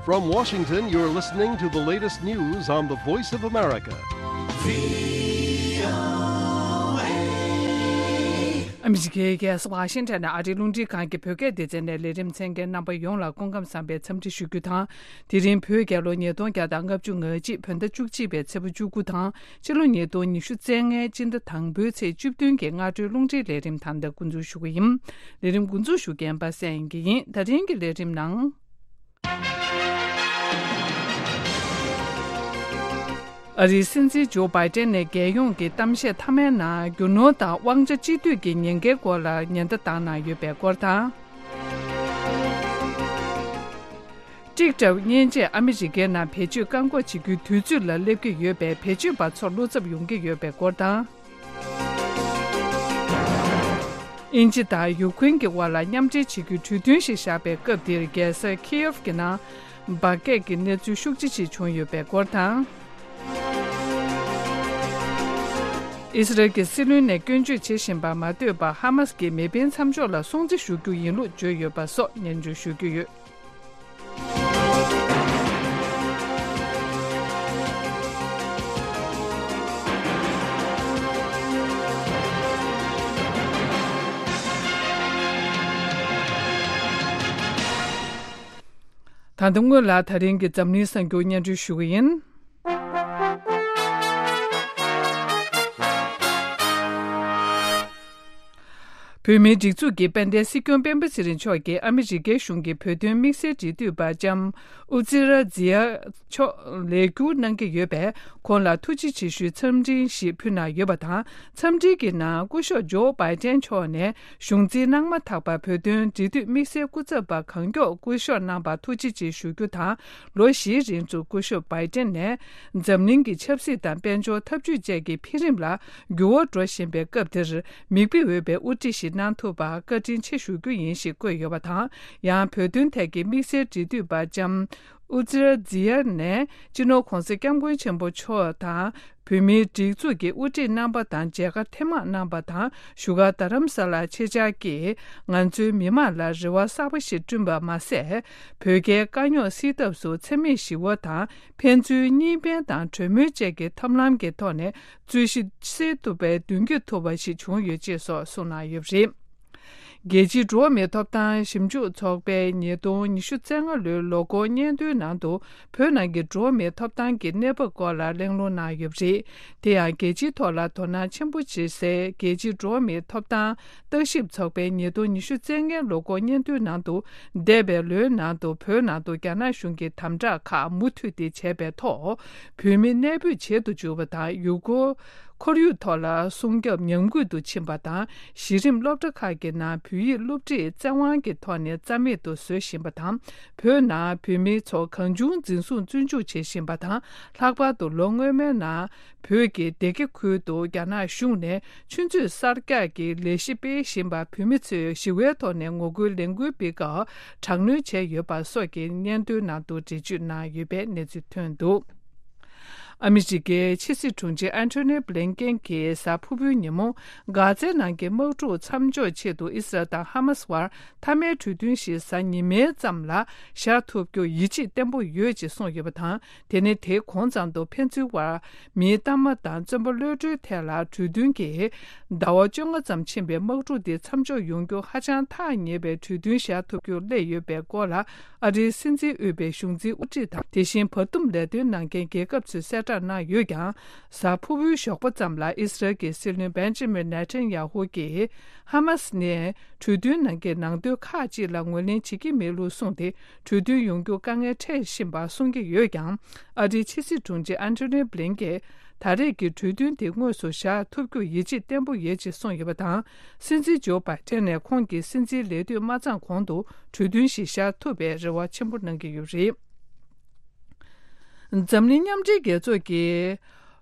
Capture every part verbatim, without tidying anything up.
From Washington, you're listening to the latest news on the Voice of America. ཨ་མི་རི་ཀའི་རྒྱལ་ས་ཝ་ཤིང་ཊོན་ནས་ཨ་རིའི་རླུང་འཕྲིན་ཁང་གི་བོད་སྐད་སྡེ་ཚན་ནས་ལས་རིམ་གསན་མཁན་རྣམ་པ་ཡོངས་ལ་སྐུ་ཁམས་བཟང་པའི་འཚམས་འདྲི་ཞུ་རྒྱུ་དང་། དེ་རིང་བོད་རྒྱལ་ལོ་ཉིས་སྟོང་བརྒྱ་དང་ལྔ་བཅུ་ང་གཅིག་བོད་ཟླ་བཅུ་གཅིག་པའི་ཚེས་པ་བཅུ་དགུ་དང་། ཕྱི་ལོ་ཉིས་སྟོང་ཉི་ཤུ་རྩ་ལྔའི་སྤྱི་ཟླ་དང་པོའི་ཚེས་བཅུ་བདུན་གྱི་སྔ་དྲོའི་རླུང་འཕྲིན་ལས་རིམ་ད་ལྟ་འགོ་འཛུགས་ཞུ་གི་ཡིན། ལས་རིམ་འགོ་འཛུགས་ཞུ་མཁན་པ་སངས་དབྱངས་སྐྱིད་ཡིན། ད་རིང་གི་ལས་རིམ་ནང་། ཨ་རིའི་སྲིད་འཛིན་ཇོ་བྷའི་ཏན་ནས་རྒྱལ་ཡོངས་ཀྱི་གཏམ་བཤད་མཐའ་མའི་ནང་རྒྱུ་ནོར་དང་དབང་ཆ་གཅིག་སྡུད་ཀྱི་ཉེན་ཁའི་སྐོར་ལ་ཉེན་བརྡ་བཏང་གནང་ཡོད་པའི་སྐོར་དང་། ཊིག་ཊོག་མཉེན་ཆས་ཨ་མི་རི་ཀའི་ནང་བེད་སྤྱོད་བཀག་འགོག་བྱེད་རྒྱུའི་དུས་ཚོད་ལ་སླེབས་ཀྱི་ཡོད་པས། བེད་སྤྱོད་པ་ཚོར་བློ་འཚབ་ཡོང་གི་ཡོད་པའི་སྐོར་དང་། དབྱིན་ཇི་དང་ཡུཀ་རེན་གྱི་དབར་ལ་མཉམ་འབྲེལ་བྱེད་རྒྱུའི་གྲོས་མཐུན་ཞིག་བཞག་པའི་སྐབས་འདིར་རྒྱལ་ས་ཁི་ཡེབ་ཀྱི་ནང་འབར་གས་ཀྱི་གནས་ཚུལ་ཤུགས་ཆེ་ཞིག་བྱུང་ཡོད་པའི་སྐོར་དང་། ཨི་སི་རལ་གྱི་སྲིད་བློན་ནས་སྐྱོན་བརྗོད་བྱེད་བཞིན་པ་མ་ལྟོས་པར་ཧ་མ་སི་ཀྱི་མེ་འཕེན་མཚམས་འཇོག་ལ་སྲུང་བརྩི་ཞུ་རྒྱུ་ཡིན་ལུགས་བརྗོད་ཡོད་པ་སོགས་སྙན་སྒྲོན་ཞུ་རྒྱུ་ཡོད། ད་ལྟ་སྔོན་ལ་ད་རིང་གི་འཛམ་གླིང་གསར་འགྱུར་སྙན་སྒྲོན་ཞུ་གི་ཡིན། བོད་མིའི་སྒྲིག་འཛུགས་ཀྱི་དཔལ་ལྡན་སྲིད་སྐྱོང་སྤེན་པ་ཚེ་རིང་མཆོག་གིས་ཨ་མི་རི་ཀའི་གཞུང་གི་བོད་དོན་དམིགས་བསལ་འབྲེལ་མཐུད་པ་ལྕམ་ཨུ་ཛི་ར་ཛི་ཡ་མཆོག་ལས་བསྒྱུར་གནང་གི་ཡོད་པས། ཁོང་ལ་ཐུགས་རྗེ་ཆེ་ཞུའི་འཚམས་འཕྲིན་ཞིག་ཕུལ་གནང་ཡོད་པ་དང་། འཚམས་འཕྲིན་གྱི་ནང་སྐུ་ཞབས་ཇོ་བྷའི་ཏན་མཆོག་ནས་གཞུང་འཛིན་གནང་མ་ཐག་པར་བོད་དོན་འབྲེལ་མཐུད་དམིགས་བསལ་སྐུ་ཚབ་པ་གང་མགྱོགས་སྐུ་གཞོགས་གནང་བར་ཐུགས་རྗེ་ཆེ་ཞུ་རྒྱུ་དང་། ལོ་བཞིའི་རིང་དུ་སྐུ་ཞབས་བྷའི་ཏན་ནས་འཛམ་གླིང་གི་ཆབ་སྲིད་དང་དཔལ་འབྱོར་འཐབ་ཇུས་བཅས་ཀྱི་འཕེལ་རིམ་ལ་འགྱུར་བ་འགྲོ་བཞིན་པའི་སྐབས་འདིར། མིག་དཔེ་འོས་པའི་དབུ་ཁྲིད་ཞིག་གནང་ཐུབ་པར་བཀའ་དྲིན་ཆེ་ཞུ་རྒྱུ་ཡིན་ཞེས་བཀོད་ཡོད་པ་དང་། ཡང་བོད་དོན་ཐད་ཀྱི་དམིགས་བསལ་འབྲེལ་མཐུད་པ་ལྕམ་ཨུ་ཛི་ར་ཛི་ཡ་ནས་སྤྱི་ནོར་༧གོང་ས་༧སྐྱབས་མགོན་ཆེན་པོ་མཆོག་དང་། བོད་མིའི་སྒྲིག་འཛུགས་ཀྱི་དབུ་ཁྲིད་རྣམ་པ་དང་མཇལ་ཁ་ཐེངས་མང་གནང་པ་དང་། བཞུགས་སྒར་རྡ་རམ་ས་ལར་ཆེད་བཅར་གྱིས་ང་ཚོའི་མི་མང་ལ་རེ་བ་གསར་པ་ཞིག་བསྐྲུན་པ་མ་ཟད། བོད་རྒྱའི་དཀའ་རྙོག་སེལ་ཐབས་སུ་འཚེ་མེད་ཞི་བ་དང་། ཕན་ཚུན་གཉིས་ཕན་དང་གྲོས་མོལ་བཅས་ཀྱི་ཐབས་ལམ་གྱི་ཐོག་ནས་རྩོད་གཞི་སེལ་ཐུབ་པའི་མདུན་སྐྱོད་ཐུབ་པ་ཞིག་བྱུང་ཡོད་ཅེས་སོགས་གསུངས་གནང་ཡོད་པ་རེད། རྒྱལ་སྤྱིའི་འགྲོ་བ་མིའི་ཐོབ་ཐང་ཞིབ་འཇུག་ཚོགས་པས་ཉིས་སྟོང་ཉི་ཤུ་རྩ་ལྔ་ལོའི་ལོ་འཁོར་སྙན་ཐོའི་ནང་དུ། བོད་ནང་གི་འགྲོ་བ་མིའི་ཐོབ་ཐང་གི་གནས་བབ་སྐོར་ལ་གླེང་སློང་གནང་ཡོད་པ་རེད། དེ་ཡང་རྒྱལ་སྤྱིའི་ཐོག་ལ་དོ་སྣང་ཆེན་པོ་བྱེད་སའི་རྒྱལ་སྤྱིའི་འགྲོ་བ་མིའི་ཐོབ་ཐང་བརྟག་ཞིབ་ཚོགས་པའི་ཉིས་སྟོང་ཉི་ཤུ་རྩ་ལྔའི་ལོ་འཁོར་སྙན་ཐོའི་ནང་དུ། འདས་པའི་ལོའི་ནང་དུ་བོད་ནང་དུ་རྒྱ་ནག་གཞུང་གིས་དམ་དྲག་ཁག་མུ་མཐུད་དེ་བྱས་པའི་ཐོག། བོད་མི་གནས་སྤོས་བྱེད་དུ་འཇུག་པ་དང་། ཡུལ་སྐོར་ཁོར་ཡུག་ཐོག་ལ་སྲུང་སྐྱོབ་ཉམས་རྒུད་དུ་ཕྱིན་པ་དང་། གཞི་རིམ་སློབ་གྲྭ་ཁག་གི་ནང་བོད་ཡིག་སློབ་ཁྲིད་བཙན་དབང་གི་ཐོག་ནས་རྩ་མེད་དུ་བཟོ་བཞིན་པ་དང་། བོད་ནང་བོད་མི་ཚོ་གང་བྱུང་འཛིན་བཟུང་བཙོན་འཇུག་བྱེད་བཞིན་པ་དང་། ལྷག་པར་དུ་ལོ་སྔོན་མའི་ནང་བོད་ཀྱི་སྡེ་དགེ་ཁུལ་དུ་རྒྱ་ནག་གཞུང་ནས་ཆུ་མཛོད་གསར་རྒྱག་གི་ལས་གཞི་སྤེལ་བཞིན་པར་བོད་མི་ཚོས་ཞི་བའི་ཐོག་ནས་ངོ་རྒོལ་ལས་འགུལ་སྤེལ་སྐབས་དྲག་གནོན་བྱས་ཡོད་པ་སོགས་ཀྱི་སྙན་ཐོའི་ནང་དུ་འགྲེལ་བརྗོད་གནང་ཡོད་པའི་གནས་ཚུལ་ཐོན་འདུག། ཨ་མི་རི་ཀའི་ཕྱི་སྲིད་དྲུང་ཆེ་ཨན་ཐོ་ནི་བྷི་ལིན་ཀེན་གྱིས་གཟའ་ཕུར་བུའི་ཉིན་མོ། གྷ་ཛའི་ནང་གི་དམག་འཁྲུག་མཚམས་འཇོག་ཆེད་དུ་ཨི་སི་རལ་དང་ཧ་མ་སི་བར་མཐའ་མའི་གྲོས་མཐུན་ཞིག་གཟའ་ཉི་མའི་མཚམས་ལ་བཞག་ཐུབ་རྒྱུར་ཡིད་ཆེས་བརྟན་པོ་ཡོད་ཅེས་གསུངས་ཡོད་པ་དང་། དེ་ནི་དེའི་གོང་ཙམ་དུ་ཕན་ཚུན་བར་མིའི་གཏའ་མ་དང་བཙོན་པ་གློད་གྲོལ་ཐད་ལ་གྲོས་མཐུན་གྱིས་ཟླ་བ་བཅོ་ལྔ་ཙམ་ཕྱིན་པའི་དམག་འཁྲུག་དེ་མཚམས་འཇོག་ཡོང་རྒྱུ་ཧ་ཅང་ཐག་ཉེ་བའི་གྲོས་མཐུན་བཞག་ཐུབ་རྒྱུར་སླེབས་ཡོད་པའི་སྐོར་ལ། ཨ་རིའི་སྲིད་འཛིན་དབུས་པའི་གཞུང་འཛིན་དབུ་ཁྲིད་དང་། དེ་བཞིན་བར་འདུམ་ལས་དོན་གནང་མཁན་རྒྱལ་ཁབ་ཚོས་གསལ་བསྒྲགས་གནང་ཡོད་ཀྱང་། གཟའ་ཕུར་བུའི་ཞོགས་པ་ཙམ་ལ་ཨི་སི་རལ་གྱི་སྲིད་བློན་བེན་ཇི་མིན་ནེ་ཐན་ཡ་ཧུ་གྱིས། ཧ་མ་སི་ནས་གྲོས་མཐུན་ནང་གི་ནང་དོན་ཁག་ཅིག་ལ་ངོས་ལེན་བྱེད་ཀྱི་མེད་ལུགས་གསུངས་ཏེ། གྲོས་མཐུན་ཡོང་རྒྱུ་དཀའ་ངལ་འཕྲད་བཞིན་པ་གསུང་གི་ཡོད་ཀྱང་། ཨ་རིའི་ཕྱི་སྲིད་དྲུང་ཆེ་ཨན་ཐོ་ནི་བྷི་ལིན་ཀེན་ད་རེས་ཀྱི་གྲོས་མཐུན་དེ་དངོས་སུ་བཞག་ཐུབ་རྒྱུར་ཡིད་ཆེས་བརྟན་པོ་ཡོད་ཅེས་གསུངས་ཡོད་པ་དང་། སྲིད་འཛིན་ཇོ་བྷའི་ཏན་ནས་ཁོང་གི་སྲིད་འཛིན་ལས་དུས་མ་ཚང་གོང་དུ་གྲོས་མཐུན་ཞིག་བཞག་ཐུབ་པའི་རེ་བ་ཆེན་པོ་གནང་གི་ཡོད་རེད། འཛམ་གླིང་མཉམ་འབྲེལ་རྒྱལ་ཚོགས་ཀྱིས་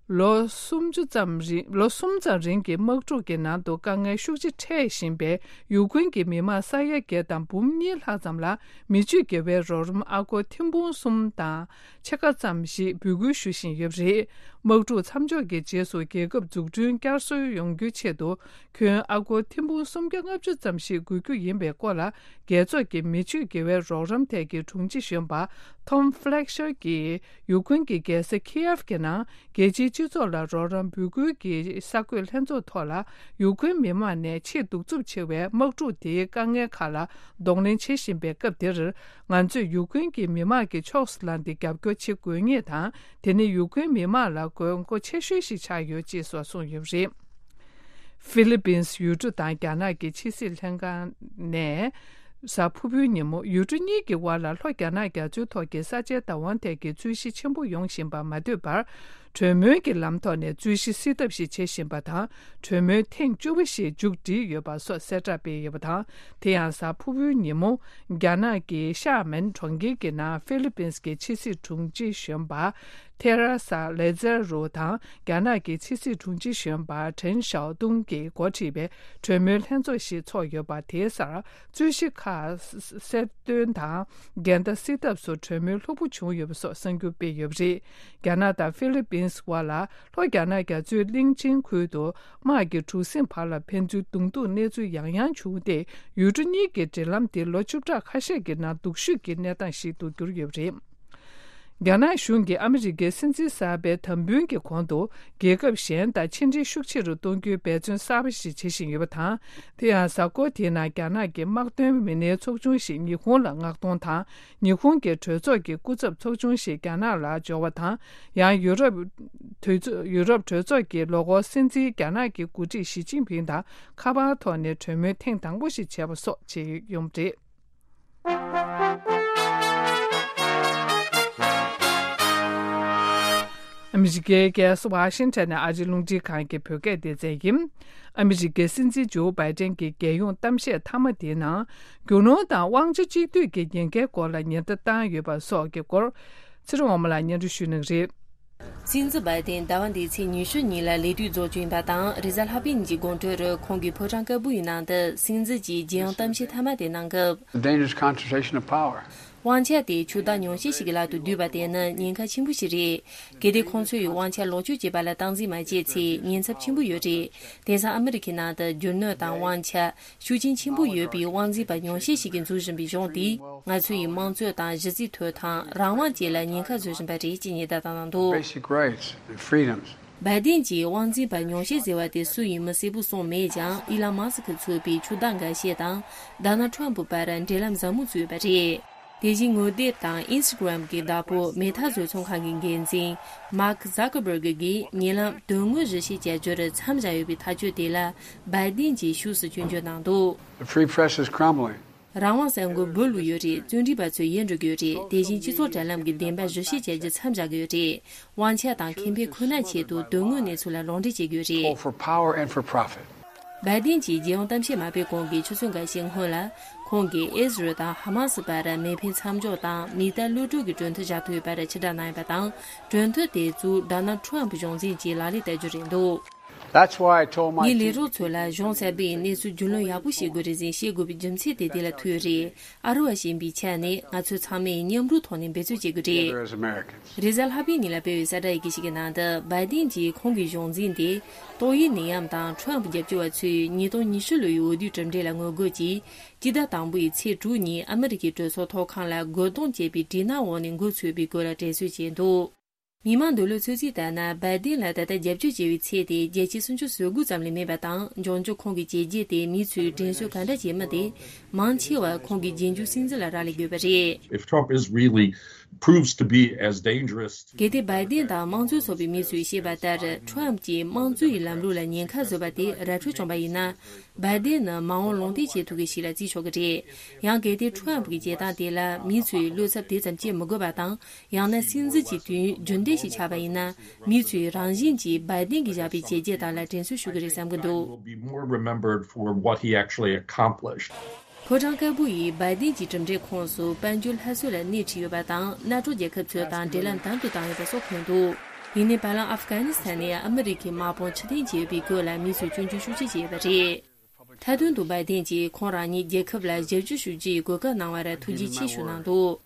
ལོ་སུམ་ཅུ་ཙམ་རིང་། ལོ་གསུམ་ཙམ་རིང་གི་དམག་འཁྲུག་གི་ནང་དུ་དཀའ་ངལ་ཤུགས་ཆེ་འཕྲད་བཞིན་པའི་ཡུ་ཀེ་རེན་གྱི་མི་མང་ས་ཡ་བརྒྱད་དང་འབུམ་གཉིས་ལྷག་ཙམ་ལ་མི་ཆོས་དགེ་བའི་རོགས་རམ་ཨ་སྒོར་ཐེར་འབུམ་གསུམ་དང་ཕྱེད་ཀ་ཙམ་ཞིག་འབོད་སྐུལ་ཞུ་བཞིན་ཡོད་པ་རེད། དམག་འཁྲུག་མཚམས་འཇོག་གི་རྗེས་སུ་རྒྱལ་ཁབ་འཛུགས་སྐྲུན་བསྐྱར་གསོ་ཡོང་རྒྱུའི་ཆེད་དུ། ཁྱོན་ཨ་སྒོར་ཐེར་འབུམ་སུམ་བརྒྱ་ལྔ་བཅུ་ཙམ་ཞིག་དགོས་རྒྱུ་ཡིན་པའི་སྐོར་ལ། རྒྱལ་ཚོགས་ཀྱི་མི་ཆོས་དགེ་བའི་རོགས་རམ་ཐད་ཀྱི་དྲུང་ཆེ་གཞོན་པ་Tom Fletcher གྱིས། ཡུཀ་རེན་གྱི་རྒྱལ་ས་ཁི་ཡེབ་ཀྱི་ནང་རྒྱལ་སྤྱིའི་སྤྱི་ཚོགས་ལ་རོགས་རམ་འབོད་སྐུལ་གྱི་གསར་འགོད་ལྷན་ཚོགས་ཐོག་ལ། ཡུཀ་རེན་མི་མང་ནས་ཆེས་གདུག་རྩུབ་ཆེ་བའི་དམག་འཁྲུག་དེའི་དཀའ་ངལ་ཁག་ལ་གདོང་ལེན་བྱེད་བཞིན་པའི་སྐབས་འདིར། ང་ཚོས་ཡུཀ་རེན་གྱི་མི་མང་གི་ཕྱོགས་སུ་ལངས་ཏེ་རྒྱབ་སྐྱོར་བྱེད་དགོས་ངེས་དང་། དེ་ནི་ཡུཀ་རེན་མི་མང་ལ་དགོས་མཁོ་ཆེ་ཤོས་ཤིག་ཆགས་ཡོད་ཅེས་སོགས་གསུངས་ཡོད་པ་རེད། ཧྥི་ལི་པིན། ཡུལ་གྲུ་དང་རྒྱ་ནག་གི་ཕྱི་སྲིད་ལྷན་ཁང་ནས། གཟའ་ཕུར་བུའི་ཉིན་མོ། ཡུལ་གྲུ་གཉིས་ཀྱི་དབར་ལ་ལྷོ་རྒྱ་ནག་རྒྱ་མཚོའི་ཐོག་གི་ས་ཆའི་བདག་དབང་ཐད་ཀྱི་རྩོད་གཞི་ཆེན་པོ་ཡོང་བཞིན་པ་མ་ཐོས་པར། གྲོས་མོལ་གྱི་ལམ་ཐོག་ནས་རྩོད་གཞི་སེལ་ཐབས་ཤིག་བྱེད་བཞིན་པ་དང་། གྲོས་མོལ་ཐེངས་བཅུ་པ་ཞིག་མཇུག་བསྒྲིལ་ཡོད་པ་སོགས་གསལ་བསྒྲགས་སྤེལ་ཡོད་པ་དང་། དེ་ཡང་གཟའ་ཕུར་བུའི་ཉིན་མོ། རྒྱ་ནག་གི་ཤ་མེན་གྲོང་ཁྱེར་གྱི་ནང་ཧྥི་ལི་པིན་གྱི་ཕྱི་སྲིད་དྲུང་ཆེ་གཞོན་པ། ཐེ་ར་ས་ལེ་ཛེར་རུ་དང་རྒྱ་ནག་གི་ཕྱི་སྲིད་དྲུང་ཆེ་གཞོན་པ་ཁྲེན་ཞའོ་ཏུང་གིས་འགོ་ཁྲིད་པའི་གྲོས་མོལ་ལྷན་ཚོགས་ཤིག་ཚོགས་ཡོད་པ། དེའི་སར་རྩོད་གཞི་ཁག་གསལ་སྟོན་དང་འགལ་ཟླ་སེལ་ཐབས་སུ་གྲོས་མོལ་ལྷུག་པོ་བྱུང་ཡོད་པ་སོགས་གསར་འགྱུར་སྤེལ་ཡོད་པ་རེད། རྒྱ་ནག་དང་ཧྥི་ལི་པིན་བར་ལ་ལྷོ་རྒྱ་ནག་རྒྱ་མཚོའི་གླིང་ཆེན་ཁུལ་དུ་དམག་གི་གྲུ་གཟིངས་བར་ལ་ཕན་ཚུན་གདོང་ཐུག་གནས་ཚུལ་ཡང་ཡང་བྱུང་སྟེ། ཡུལ་གྲུ་གཉིས་ཀྱི་འབྲེལ་ལམ་དེ་ལོ་བཅུ་ཕྲག་ཁ་ཤས་ཀྱི་ནང་སྡུག་ཤོས་ཀྱི་གནས་སྟངས་ཤིག་ཏུ་གྱུར་ཡོད་པ་རེད། རྒྱ་ནག་གཞུང་གིས་ཨ་མི་རི་ཀའི་སྲིད་འཛིན་གསར་པའི་དམ་འབུལ་གྱི་གོང་དུ། རྒྱལ་ཁབ་གཞན་དང་ཕྱི་འབྲེལ་ཤུགས་ཆེ་རུ་གཏོང་རྒྱུའི་འབད་བརྩོན་གསར་པ་ཞིག་བྱེད་བཞིན་ཡོད་པ་དང་། དེ་ཡང་གཟའ་འཁོར་དེའི་ནང་རྒྱ་ནག་གི་དམག་དོན་མི་སྣའི་ཚོགས་ཆུང་ཞིག་ཉི་ཧོང་ལ་མངགས་གཏོང་དང་། ཉི་ཧོང་གི་གྲོས་ཚོགས་ཀྱི་སྐུ་ཚབ་ཚོགས་ཆུང་ཞིག་རྒྱ་ནག་ལ་འབྱོར་བ་དང་། ཡང་ཡུ་རོབ་གྲོས་ཚོགས། ཡུ་རོབ་གྲོས་ཚོགས་ཀྱི་ལོ་འཁོར་སྲིད་འཛིན་རྒྱ་ནག་གི་འགོ་ཁྲིད་ཞི་ཅིན་ཕིང་དང་ཁ་པར་ཐོག་ནས་གྲོས་མོལ་ཐེངས་དང་པོ་ཞིག་བྱས་པ་སོགས་བྱས་ཡོད་པ་རེད། ཨ་མི་རི་ཀའི་རྒྱལ་ས་ཝ་ཤིང་ཊོན་ནས་ཨ་རིའི་རླུང་འཕྲིན་ཁང་གི་བོད་སྐད་སྡེ་ཚན་ཡིན། ཨ་མི་རི་ཀའི་སྲིད་འཛིན་ཇོ་བྷའི་ཏན་གྱི་རྒྱལ་ཡོངས་གཏམ་བཤད་མཐའ་མ་དེའི་ནང་། རྒྱུ་ནོར་དང་དབང་ཆ་གཅིག་སྡུད་ཀྱི་ཉེན་ཁའི་སྐོར་ལ་ཉེན་བརྡ་བཏང་ཡོད་པ་སོགས་ཀྱི་སྐོར། ཚེ་རིང་དབང་མོ་ལགས་སྙན་སྒྲོན་ཞུ་གནང་གི་རེད། སྲིད་འཛིན་བྷའི་ཏན་ཟླ་བ་འདིའི་ཚེས་ཉི་ཤུ་ཉིན་ལ་ལས་དུས་རྫོགས་རྒྱུ་ཡིན་པ་དང་། རེས་གཟའ་ལྷག་པའི་ཉིན་གྱི་དགོང་དྲོ་རུ་ཁོང་གིས་ཕོ་བྲང་དཀར་པོ་ཡི་ནང་དུ་སྲིད་འཛིན་གྱི་རྒྱལ་ཡོངས་གཏམ་བཤད་མཐའ་མ་དེ་གནང་སྐབས། The dangerous concentration of power. དབང་ཆ་དེ་ཆུ་ཟླ་ཉུང་ཤས་ཤིག་གི་ལག་ཏུ་བསྡུས་པ་དེ་ནི་ཉེན་ཁ་ཆེན་པོ་ཞིག་རེད། གལ་ཏེ་ཁོང་ཚོ་ཡིས་དབང་ཆ་ལོག་སྤྱོད་བྱས་པ་ལ་སྟངས་འཛིན་མ་བྱས་ཚེ་ཉེན་ཚབས་ཆེན་པོ་ཡོད་རེད། དེང་སང་ཨ་མི་རི་ཁའི་ནང་དུ་རྒྱུ་ནོར་དང་དབང་ཆ་ཤུགས་རྐྱེན་ཆེན་པོ་ཡོད་པའི་དབང་འཛིན་པ་ཉུང་ཤས་ཤིག་གིས་འཛུགས་བཞིན་པའི་གཞུང་དེས་ང་ཚོ་ཡི་དམངས་གཙོ་དང་གཞི་རྩའི་ཐོབ་ཐང་རང་དབང་བཅས་ལ་ཉེན་ཁ་བཟོ་བཞིན་པ་རེད་ཅེས་ཉེན་བརྡ་བཏང་གནང་འདུག Basic rights and freedoms. བྷའི་ཏིན་གྱིས་དབང་འཛིན་པ་ཉུང་ཤས་ཟེར་བ་དེ་སུ་ཡིན་མིན་གསལ་པོ་གསུངས་མེད་ཀྱང་། དབྱི་ལང་མཱ་སི་ཁི་གཙོས་པའི་ཕྱོགས་བདག་འགའ་ཤས་དང་ཌོ་ནལ་ཁྲོམ་ཕུ་བར་འབྲེལ་ལམ་ཟབ་མོ་བཙུགས་ཡོད་པ་རེད། དེ་བཞིན་ངོ་དེབ་དང་ཨིན་སི་ཊ་གྷི་རམ་གྱི་བདག་པོ་མེ་ཐ་བཟོ་ཚོང་ཁང་གི་འགན་འཛིན་མཱག་ཟ་ཀར་བྷར་གི་གིས་ཉེ་ལམ་དོན་དངོས་གཞི་བྱེད་བྱ་རྒྱུར་མཚམས་བཞག་ཡོད་པའི་ཐག་གཅོད་དེ་ལ་བྷའི་ཏིན་གྱིས་ཤུགས་སུ་སྐྱོན་བརྗོད་གནང་འདུག The free press is crumbling. རང་དབང་ས་མགོ་འབུད་ལུག་ཡོད་རེད། བཙོན་ཁྲིད་པ་ཚོས་ཡལ་འགྲོ་གི་ཡོད་རེད། དེ་བཞིན་སྤྱི་ཚོགས་དྲ་ལམ་གྱི་བདེན་པ་གཞི་བྱེད་བྱ་རྒྱུ་མཚམས་བཞག་གི་ཡོད་རེད། དབང་ཆ་དང་ཁེ་ཕན་ཁོ་ན་ཆེད་དུ་དོན་དངོས་གནས་ཚུལ་ལ་ལོག་འགྲེལ་བྱེད་ཀྱི་ཡོད་རེད། Pull for power and for profit. བྷའི་ཏིན་གྱིས་རྒྱལ་ཡོངས་གཏམ་བཤད་མ་སྤེལ་གོང་གི་ཆུ་ཚོད་འགའ་ཤས་སྔོན་ལ། ཁོང་གིས་ཨིས་རལ་དང་ཧ་མ་སི་བར་མེ་འཕེན་མཚམས་འཇོག་དང་མི་གཏའ་གློད་གྲོལ་གྱི་གྲོས་མཐུན་བཞག་ཐུབ་ཡོད་པར་ཕྱིར་བསྒྲགས་གནང་ཡོད་པ་དང་། གྲོས་མཐུན་དེ་ཚོ་ཌོ་ནལ་ཁྲོམ་གཞུང་འཛིན་གྱིས་ལག་ལེན་བསྟར་རྒྱུ་རེད་འདུག That's why I told my ངས་ལས་རོགས་ཚོ་ལ་གཞུང་གསར་པས་གནས་ཚུལ་རྒྱུས་ལོན་ཡག་པོ་བྱེད་དགོས་རེད་ཟེར་བཤད་དགོས་པའི་རྒྱུ་མཚན་དེ་དེ་ལ་ཐུག་ཡོད་རེད། ཨ་རི་བ་ཞེས་པའི་ཆ་ནས་ང་ཚོ་ཚང་མས་མཉམ་རུབ་ཐོག་ནས་འབད་རྩོལ་བྱེད་དགོས་རེད། Together as Americans. རེས་གཟའ་ལྷག་པའི་ཉིན་ལ་སྤེལ་བའི་གསལ་བསྒྲགས་ཡི་གེ་ཞིག་གི་ནང་དུ་བྷའི་ཏིན་གྱིས་ཁོང་གི་གཞུང་འཛིན་དེ་ཏོག་དབྱིབས་ནད་ཡམས་དང་ཁྲོམ་རྒྱབ་སྐྱོར་བ་ཚོས་ཉིས་སྟོང་ཉི་ཤུ་ལོའི་འོས་བསྡུའི་གྲུབ་འབྲས་ལ་ངོ་རྒོལ་གྱིས་སྤྱི་ཟླ་དང་པོའི་ཚེས་དྲུག་ཉིན་ཨ་མི་རི་ཀའི་གྲོས་ཚོགས་ཐོག་ཁང་ལ་རྒོལ་རྡུང་བྱས་པའི་འདྲི་སྣང་འོག་ནས་འགོ་ཚུགས་པའི་སྐོར་ལ་དྲན་གསོ་བྱས་འདུག་མི་མང་འདོད་བློའི་ཚོད་རྩིས་ལྟར་ན། བྷའི་ཏིན་ལ་ད་ལྟ་རྒྱབ་སྐྱོར་བྱེད་པའི་ཚད་དེ་བརྒྱ་ཆ་སུམ་ཅུ་སོ་དགུ་ཙམ་ལས་མེད་པ་དང་། འབྱུང་འགྱུར་ཁོང་གི་བྱས་རྗེས་དེ་མི་ཚོས་དྲན་གསོ་ག་འདྲ་བྱེད་མིན་དེ་མང་ཆེ་བ་ཁོང་གི་རྗེས་འཇུག་སྲིད་འཛིན་ལ་རག་ལས་དགོས་པ་རེད། If Trump is really proves to be as dangerous to གལ་ཏེ་བྷའི་ཏིན་དང་དམངས་གཙོའི་ཚོགས་པའི་མི་ཚོས་བཤད་པ་ལྟར། ཁྲོམ་གྱིས་དམངས་གཙོའི་ལམ་ལུགས་ལ་ཉེན་ཁ་བཟོས་པ་དེ་ར་འཕྲོད་བྱུང་བ་ཡིན་ན། བྷའི་ཏིན་ནི་མ་འོངས་ལུང་བསྟན་བྱེད་ཐུབ་མཁན་ཞིག་ལ་བརྩི་ཆོག་གི་རེད། ཡང་གལ་ཏེ་ཁྲོམ་གྱི་བྱེད་སྟངས་དེ་ལ་མི་ཚོས་བློ་འཚབ་དེ་ཙམ་སྐྱེ་མི་དགོས་པ་དང་། ཡང་ན་སྲིད་འཛིན་གྱི་དུས་ཡུན་རྒྱུན་ལྡན་ཞིག་ཆགས་པ་ཡིན་ན། མི་ཚོས་རང་བཞིན་གྱིས་བྷའི་ཏིན་གྱིས་བཞག་པའི་བྱས་རྗེས་དག་ལ་དྲན་གསོ་ཞུ་གི་རེད་བསམ་གྱི་འདུག Will be more remembered for what he actually accomplished. ཕོ་བྲང་དཀར་པོ་ཡིས་བྷའི་ཏིན་གྱི་གྲུབ་འབྲས་ཁོངས་སུ་དཔལ་འབྱོར་སླར་གསོ་ལ་སྣེ་ཁྲིད་ཡོད་པ་དང་། གནའ་གྲོགས་རྒྱལ་ཁབ་ཚོ་དང་འབྲེལ་ལམ་དམ་དུ་བཏང་ཡོད་པ་སོགས་འཁོད་འདུག་ཡིན་ནའི་བར་ལམ་ཨབ་གྷ་ནི་སི་ཐན་ནས་ཨ་མི་རི་ཁའི་དམག་དཔུང་ཕྱིར་འཐེན་བྱས་ཡོད་པའི་སྐོར་ལ་མི་ཚོས་སྐྱོན་བརྗོད་ཤུགས་ཆེ་བྱས་ཡོད་པ་རེད། མཐའ་དོན་དུ་བྷའི་ཏིན་གྱིས་ཁོང་རང་ཉིད་རྒྱལ་ཁབ་ལ་ཞབས་ཞུ་ཞུ་རྒྱུའི་གོ་སྐབས་གནང་བར་ཐུགས་རྗེ་ཆེ་ཞུ་གནང་འདུག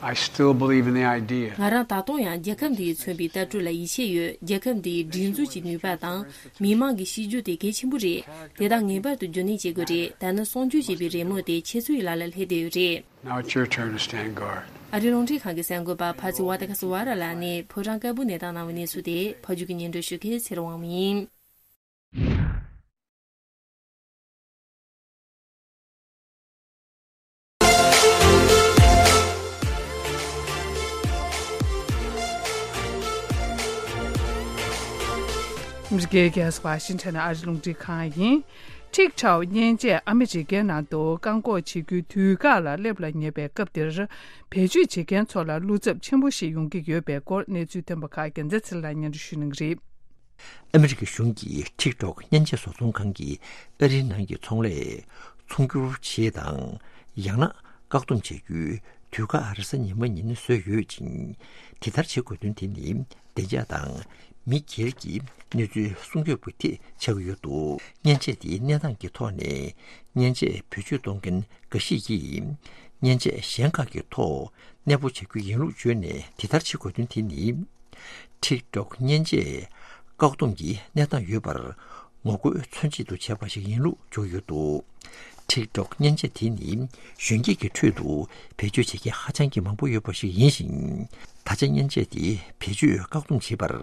I still believe in the idea. ང་རང་ད་དུང་ཡང་རྒྱལ་ཁབ་འདིས་མཚོན་པའི་ལྟ་གྲུབ་ལ་ཡིད་ཆེས་ཡོད། རྒྱལ་ཁབ་འདིའི་སྒྲིག་འཛུགས་ཀྱི་ནུས་པ་དང་མི་མང་གི་གཤིས་རྒྱུད་དེ་གལ་ཆེན་པོ་རེད། དེ་དག་ངེས་པར་དུ་རྒྱུན་གནས་བྱེད་དགོས་རེད། ད་ནི་སྲུང་སྐྱོབ་བྱེད་པའི་རེ་སྨོན་དེ་ཁྱེད་ཚོའི་ལག་ལ་སླེབས་བསྡད་ཡོད་རེད། Now it's your turn to stand guard. ཨ་རིའི་རླུང་འཕྲིན་ཁང་གི་གསར་འགོད་པ་ཕ་ཚི་ཝ་ཏ་ཁ་སི་ཝ་ར་ལགས་ནས་ཕོ་བྲང་དཀར་པོ་ནས་བཏང་གནང་བའི་གནས་ཚུལ་དེ་ཕ་རྒྱུད་ཀྱི་སྙན་སྒྲོན་ཞུ་མཁན་ཚེ་རིང་དབང་མོ་ཡིན། ཨ་མི་རི་ཀའི་རྒྱལ་ས་ཝ་ཤིང་ཊོན་ནས་ཨ་རིའི་རླུང་འཕྲིན་ཁང་ཡིན། ཊིག་ཊོག་མཉེན་ཆས་ཨ་མི་རི་ཀའི་ནང་དུ་བཀག་འགོག་བྱེད་རྒྱུའི་དུས་བཀག་ལ་སླེབས་ལ་ཉེ་བའི་སྐབས་འདིར། བེད་སྤྱོད་བྱེད་མཁན་ཚོ་ལ་བློ་འཚབ་ཆེན་པོ་ཞིག་ཡོང་གི་ཡོད་པའི་སྐོར་གནས་ཚུལ་ཐོན་པ་ཁག་རྒྱལ་མཚན་ཚེ་ལགས་སྙན་སྒྲོན་ཞུ་གནང་གི་རེད། ཨ་མི་རི་ཀའི་གཞུང་གིས་ཊིག་ཊོག་མཉེན་ཆས་བཟོ་ཚོང་ཁང་གིས་ཨ་རིའི་ནང་གི་ཚོང་ལས་ཚོང་སྒྱུར་བྱེད་དང་། ཡང་ན་བཀག་སྡོམ་བྱེད་རྒྱུའི་དུས་བཀག་རེས་གཟའ་ཉི་མ་ཉིན་བཟོས་ཡོད་ཅིང་། དེ་ལྟར་བྱེད་དགོས་དོན་དེ་ནི་བདེ་འཇགས་དང་མི་སྒེར་གྱི་གནས་ཚུལ་སྲུང་སྐྱོབ་ཀྱི་ཐད་ཆགས་ཀྱི་ཡོད་འདུག་མཉེན་ཆས་དེའི་གནས་སྟངས་ཀྱི་ཐོག་ནས་མཉེན་ཆས་བེད་སྤྱོད་གཏོང་མཁན་འགའ་ཞིག་གིས་མཉེན་ཆས་གཞན་ཁག་གི་ཐོག་གནས་སྤོ་བྱ་རྒྱུ་ཡིན་ལུགས་བརྗོད་ནས། དེ་ལྟར་བྱེད་དགོས་དོན་དེ་ནི། ཊིག་ཊོག་མཉེན་ཆས་བཀག་སྡོམ་གྱི་གནས་སྟངས་ཡོད་པར་ངོ་རྒོལ་མཚོན་ཆེད་དུ་བྱས་པ་ཞིག་ཡིན་ལུགས་བརྗོད་ཡོད་འདུག་ཊིག་ཊོག་མཉེན་ཆས་དེ་ནི་གཞོན་སྐྱེས་ཀྱི་ཁྲོད་དུ་བེད་སྤྱོད་བྱེད་མཁན་ཧ་ཅང་གི་མང་པོ་ཡོད་པ་ཞིག་ཡིན་ཞིང་། ད་ཆ་མཉེན་ཆས་དེ་བེད་སྤྱོད་བཀག་སྡོམ་བྱེད་པར་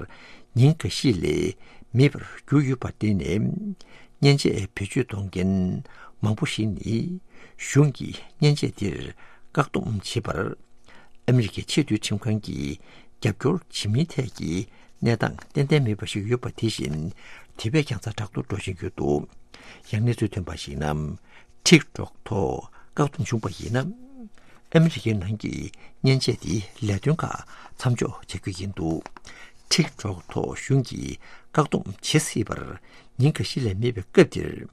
ཉིན་འགའ་ཤས་ལས་མེད་པར་གྱུར་ཡོད་པར་བརྟེན་ནས། མཉེན་ཆས་བེད་སྤྱོད་གཏོང་མཁན་མང་པོ་ཞིག་ནི་གཞུང་གིས་མཉེན་ཆས་དེར་བཀག་སྡོམ་བྱེད་པར། ཨ་མི་རི་ཀའི་ཆེས་མཐོའི་ཁྲིམས་ཁང་གིས་རྒྱབ་སྐྱོར་བྱེད་མིན་ཐད་ཀྱི་གནས་སྟངས་ཏན་ཏན་མེད་པ་ཞིག་ཡོད་པ་དེ་བཞིན། དེ་བས་ཀྱང་ཛ་དྲག་ཏུ་འགྲོ་བཞིན་ཡོད་འདུག་ཡང་གནས་ཚུལ་ཐོན་པར་གཞིགས་ན། ཊིག་ཊོག་ཐོག་བཀག་སྡོམ་བྱུང་བ་ཡིན་ན། ཨ་མི་རི་ཀའི་ནང་གི་མཉེན་ཆས་དེའི་ལས་དོན་ཁག་མཚམས་འཇོག་བྱ་རྒྱུ་ཡིན་འདུག་ཊིག་ཊོག་ཐོག་གཞུང་གིས་བཀག་སྡོམ་བྱེད་སྲིད་པར་ཉིན་འགའ་ཤས་ལས་མེད་པའི་སྐབས་འདིར།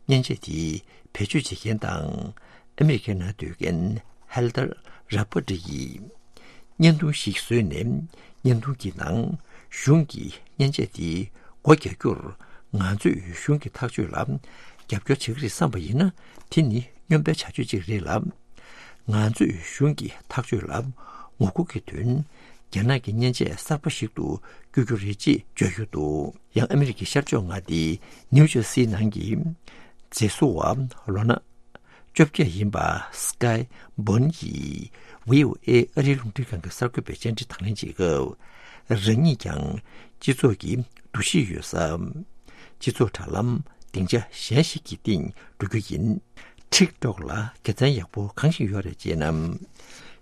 མཉེན་ཆས་དེའི་བེད་སྤྱོད་བྱེད་མཁན་དང་། ཨ་མི་རི་ཀའི་ནང་སྡོད་མཁན་ཧེལ་ཏར་ར་པ་ཏི་ཡིས་བརྙན་ཐུང་ཞིག་བཟོས་ནས། བརྙན་ཐུང་གི་ནང་གཞུང་གིས་མཉེན་ཆས་དེ་སྒོ་རྒྱག་རྒྱུར་ང་ཚོས་གཞུང་གི་ཐག་གཅོད་ལ་རྒྱབ་སྐྱོར་བྱེད་ཀྱི་རེད་བསམ་པ་ཡིན་ན། དེ་ནི་སྨྱོན་པའི་བྱ་སྤྱོད་ཅིག་རེད་ལ། ང་ཚོས་གཞུང་གི་ཐག་གཅོད་ལ་ངོ་རྒོལ་གྱི་དོན། རྒྱ་ནག་གི་མཉེན་ཆས་གསར་པ་ཞིག་ཏུ་བསྒྱུར་རྒྱུ་རེད་ཅེས་བརྗོད་ཡོད་འདུག་ཡང་ཨ་མི་རི་ཀའི་ཤར་ཕྱོགས་མངའ་སྡེ་ནིའུ་ཇར་སིའི་ནང་གི་མཛེས་བཟོ་བ་ལོ་ན་བཅོ་བརྒྱད་ཡིན་པ་སི་ཀའི་བོན་གྱིས་བྷི་ཨོ་ཨེ་ཨ་རིའི་རླུང་འཕྲིན་ཁང་གི་གསར་འགོད་པའི་བཅར་འདྲི་དང་ལེན་བྱེད་སྐབས། རང་ཉིད་ཀྱང་སྤྱི་ཚོགས་ཀྱི་འདུ་ཤེས་ཡོད་ས། སྤྱི་ཚོགས་དྲ་ལམ་སྡིངས་ཆ་གཞན་ཞིག་གི་སྟེང་འགྲོ་རྒྱུ་ཡིན། ཊིག་ཊོག་ལ་དགེ་མཚན་ཡག་པོ་གང་ཞིག་ཡོད་རེད་ཅེ་ན།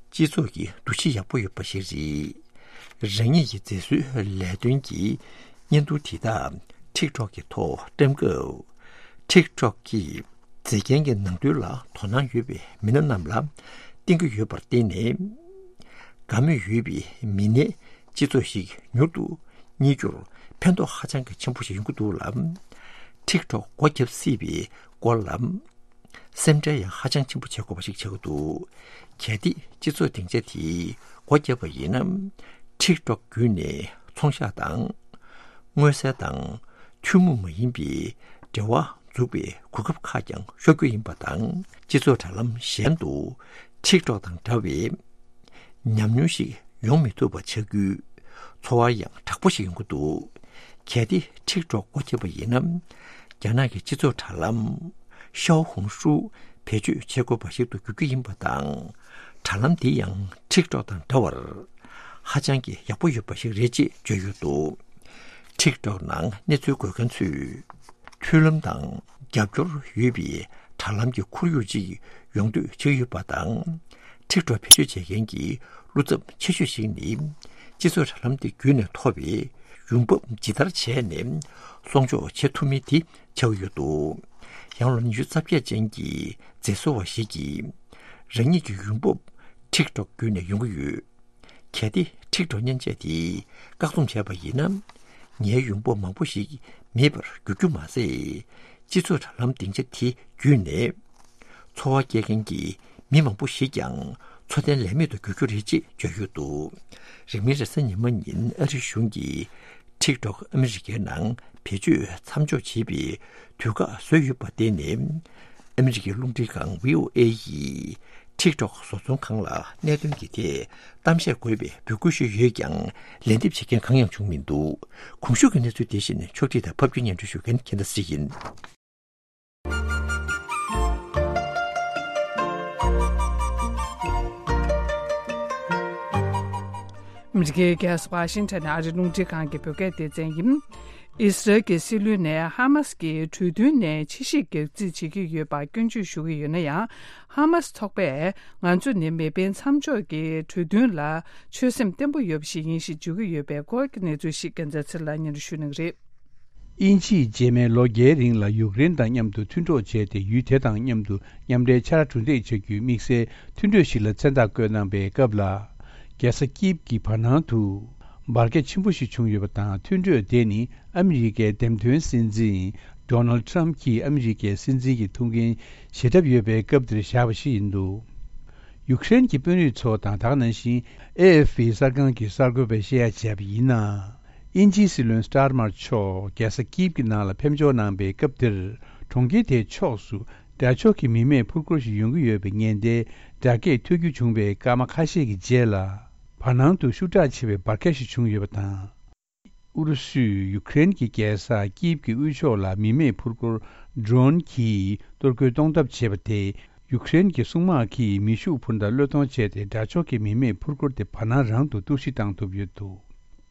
སྤྱི་ཚོགས་ཀྱི་འདུ་ཤེས་ཡག་པོ་ཡོད་པ་ཞིག་རེད། རང་ཉིད་ཀྱི་མཛེས་བཟོའི་ལས་དོན་གྱི་བརྙན་ཐུང་དེ་དག་ཊིག་ཊོག་གི་ཐོག་བཀྲམ་སྐབས། ཊིག་ཊོག་གིས་མཛེས་རྒྱན་གྱི་ནང་དོན་ལ་དོ་སྣང་ཡོད་པའི་མི་སྣ་རྣམས་ལ་བསྟན་གྱི་ཡོད་པར་བརྟེན་ནས། དགའ་མོས་ཡོད་པའི་མི་སྣའི་སྤྱི་ཚོགས་ཤིག་མྱུར་དུ་རྙེད་རྒྱུར་ཕན་ཐོགས་ཧ་ཅང་གི་ཆེན་པོ་ཞིག་ཡོང་གི་འདུག་ལ། ཊིག་ཊོག་སྒོ་བརྒྱབ་སྲིད་པའི་སྐོར་ལ། སེམས་ཁྲལ་ཡང་ཧ་ཅང་ཆེན་པོ་བྱེད་དགོས་པ་ཞིག་ཆགས་ཀྱི་འདུག་གལ་ཏེ་སྤྱི་ཚོགས་སྡིངས་ཆ་དེ་སྒོ་བརྒྱབ་པ་ཡིན་ན། ཊིག་ཊོག་བརྒྱུད་ནས་ཚོང་ཤག་དང་། མངོན་གསལ་དང་ཐུན་མོང་མ་ཡིན་པའི་འབྲེལ་བ་འཛུགས་པའི་གོ་སྐབས་ཁག་ཀྱང་ཤོར་རྒྱུ་ཡིན་པ་དང་། སྤྱི་ཚོགས་དྲ་ལམ་གཞན་དུ་ཊིག་ཊོག་དང་འདྲ་བའི་ཉམས་མྱོང་ཞིག་ཡོང་མི་ཐུབ་པ་ཆགས་རྒྱུའི་ཚོར་བ་ཡང་དྲག་པོ་ཞིག་ཡོང་གི་འདུག་གལ་ཏེ་ཊིག་ཊོག་སྒོ་ཕྱེ་བ་ཡིན་ན། རྒྱ་ནག་གི་སྤྱི་ཚོགས་དྲ་ལམ་ཤའོ་ཧུང་ཧྲུའུ་བེད་སྤྱོད་བྱེད་དགོས་པ་ཞིག་ཏུ་འགྱུར་རྒྱུ་ཡིན་པ་དང་། དྲ་ལམ་འདི་ཡང་ཊིག་ཊོག་དང་འདྲ་བར་ཧ་ཅང་གི་ཡག་པོ་ཡོད་པ་ཞིག་རེད་ཅེས་བརྗོད་ཡོད་འདུག་ཊིག་ཊོག་ནང་གནས་ཚུལ་འགོད་མཁན་ཚོས། མཐུན་ལམ་དང་རྒྱབ་སྐྱོར་ཡོད་པའི་དྲ་ལམ་གྱི་ཁོར་ཡུག་ཅིག་ཡོང་འདོད་བྱེད་ཀྱི་ཡོད་པ་དང་། ཊིག་ཊོག་བེད་སྤྱོད་བྱེད་མཁན་གྱི་བློ་འཚབ་ཆེ་ཤོས་ཤིག་ནི། སྤྱི་ཚོགས་དྲ་ལམ་དེ་བརྒྱུད་ནས་ཐོབ་པའི་ཡོང་འབབ་ཇི་ལྟར་བྱས་ནས་སྲུང་སྐྱོབ་བྱེད་ཐུབ་མིན་དེ་ཆགས་ཡོད་འདུག་ཡང་ལོ་ཉི་ཤུ་རྩ་བརྒྱད་ཅན་གྱི་མཛེས་བཟོ་བ་ཞིག་གིས། རང་ཉིད་ཀྱི་ཡོང་འབབ་ཊིག་ཊོག་བརྒྱུད་ནས་ཡོང་གི་ཡོད། གལ་ཏེ་ཊིག་ཊོག་མཉེན་ཆས་དེ་བཀག་སྡོམ་བྱས་པ་ཡིན་ན། ངའི་ཡོང་འབབ་མང་པོ་ཞིག་མེད་པར་འགྱུར་རྒྱུ་མ་ཟད། སྤྱི་ཚོགས་དྲ་ལམ་སྡིངས་ཆ་དེ་བརྒྱུད་ནས། འཚོ་བ་སྐྱེལ་མཁན་གྱི་མི་མང་པོ་ཞིག་ཀྱང་འཚོ་རྟེན་ལས་མེད་དུ་འགྱུར་རྒྱུ་རེད་ཅེས་བརྗོད་ཡོད་འདུག་རིང་མིན་རེས་གཟའ་ཉི་མ་ཉིན་ཨ་རིའི་གཞུང་གིས་ཊིག་ཊོག་ཨ་མི་རི་ཀའི་ནང་བེད་སྤྱོད་མཚམས་འཇོག་བྱེད་པའི་དུས་བཀག་བཟོས་ཡོད་པར་བརྟེན་ནས། ཨ་མི་རི་ཀའི་རླུང་འཕྲིན་ཁང་བྷི་ཨོ་ཨེ་ཡིས། TikTok་བཟོ་ཚོང་ཁང་ལ་གནད་དོན་གྱི་ཐད་གཏམ་བཤད་དགོས་པའི་འབོད་སྐུལ་ཞུས་ཡོད་ཀྱང་ལན་འདེབས་བྱེད་མཁན་གང་ཡང་བྱུང་མི་འདུག། གོང་ཞུས་ཀྱི་གནས་ཚུལ་དེ་བཞིན་ཕྱོགས་སྒྲིག་དང་ཕབ་སྒྱུར་སྙན་སྒྲོན་ཞུ་མཁན་ཁྱེད་ཟླ་སྲིད་ཡིན། ཨ་མི་རི་ཀའི་རྒྱལ་ས་ཝ་ཤིང་ཊོན་ནས་ཨ་རིའི་རླུང་འཕྲིན་ཁང་གི་བོད་སྐད་སྡེ་ཚན་ཡིན། ཨི་སི་རལ་གྱི་སྲིད་བློན་ནས་ཧ་མ་སི་ཀྱིས་གྲོས་མཐུན་ནས་ཕྱིར་བཤིག་གྱ་རྩིས་བྱེད་ཀྱི་ཡོད་པར་སྐྱོན་བརྗོད་ཞུ་གི་ཡོད་ན་ཡང་། ཧ་མ་སི་ཚོགས་པས་ང་ཚོ་ནི་མེ་འཕེན་མཚམས་འཇོག་གི་གྲོས་མཐུན་ལ་ཆོད་སེམས་བརྟན་པོ་ཡོད་པ་ཞིག་ཡིན་ཞེས་བརྗོད་ཀྱི་ཡོད་པའི་སྐོར་གྱི་གནས་ཚུལ་ཞིག་རྒྱལ་མཚན་ཚེ་རིང་ལགས་སྙན་སྒྲོན་ཞུ་གནང་གི་རེད། དབྱིན་ཇིས་རྗེས་མའི་ལོ་བརྒྱའི་རིང་ལ་ཡུཀ་རེན་དང་མཉམ་དུ་མཐུན་གྲོགས་བྱས་ཏེ་ཡུལ་དེ་དང་མཉམ་དུ་མཉམ་འབྲེལ་ཆ་ར་གྲུ་འདེགས་བྱ་རྒྱུའི་དམིགས་བསལ་མཐུན་གྲོས་ཤིག་ལ་མཚན་རྟགས་བཀོད་གནང་པའི་སྐབས་ལ། རྒྱལ་ས་ཀིབ་ཀྱི་བར་སྣང་དུ་འབར་གས་ཆེན་པོ་ཞིག་བྱུང་ཡོད་པ་དང་། མཐུན་གྲོས་དེ་ནི་ཨ་མི་རི་ཀའི་འདེམས་ཐོན་སྲིད་འཛིན་ཌོ་ནལ་ཌི་ཊརམ་ཕི་གྱིས་ཨ་མི་རི་ཀའི་སྲིད་འཛིན་གྱི་ཐུགས་འགན་བཞེས་གྲབས་ཡོད་པའི་སྐབས་དེར་བཞག་པ་ཞིག་ཡིན་འདུག། ཡུཀ་རེན་གྱི་དཔོན་རིགས་ཚོ་དང་། ད་ག་ནང་བཞིན་ཨེ་ཨེཕ་པི་གསར་ཁང་གི་གསར་འགོད་པས་བཤད་ཡ་བྱས་པ་ཡིན་ན། དབྱིན་ཇིའི་སྲིད་བློན་སི་ཊར་མར་མཆོག་རྒྱལ་ས་ཀིབ་ཀྱི་ནང་ལ་ཕེབས་འབྱོར་གནང་པའི་སྐབས་དེར། གྲོང་ཁྱེར་དེའི་ཕྱོགས་སུ་དགྲ་ཕྱོགས་ཀྱི་མི་མེད་འཕུར་འཁོར་ཞིག་ཡོང་གི་ཡོད་པའི་ཉེན་བརྡའི་སྒྲ་སྐད་ཐོས་རྒྱུ་བྱུང་བའི་སྐར་མ་ཁ་ཤས་ཀྱི་རྗེས་ལ། བར་སྣང་དུ་ཤུགས་དྲག་ཆེ་བའི་འབར་གས་ཤིག་བྱུང་ཡོད་པ་དང་། ཨུ་རུ་སུས་ཡུཀ་རེན་གྱི་རྒྱལ་ས་ཀིབ་ཀྱི་དབུས་ཕྱོགས་ལ་མི་མེད་འཕུར་འཁོར་ཌོ་རོན་གྱིས་གཏོར་རྒོལ་གཏོང་ཐབས་བྱས་པ་དེས། ཡུཀ་རེན་གྱི་སྲུང་དམག་གིས་མེ་ཤུགས་འཕུར་མདའ་གློད་གཏོང་བྱས་ཏེ། དགྲ་ཕྱོགས་ཀྱི་མི་མེད་འཕུར་འཁོར་དེ་བར་སྣང་རང་དུ་གཏོར་བཤིག་བཏང་ཐུབ་ཡོད་འདུག།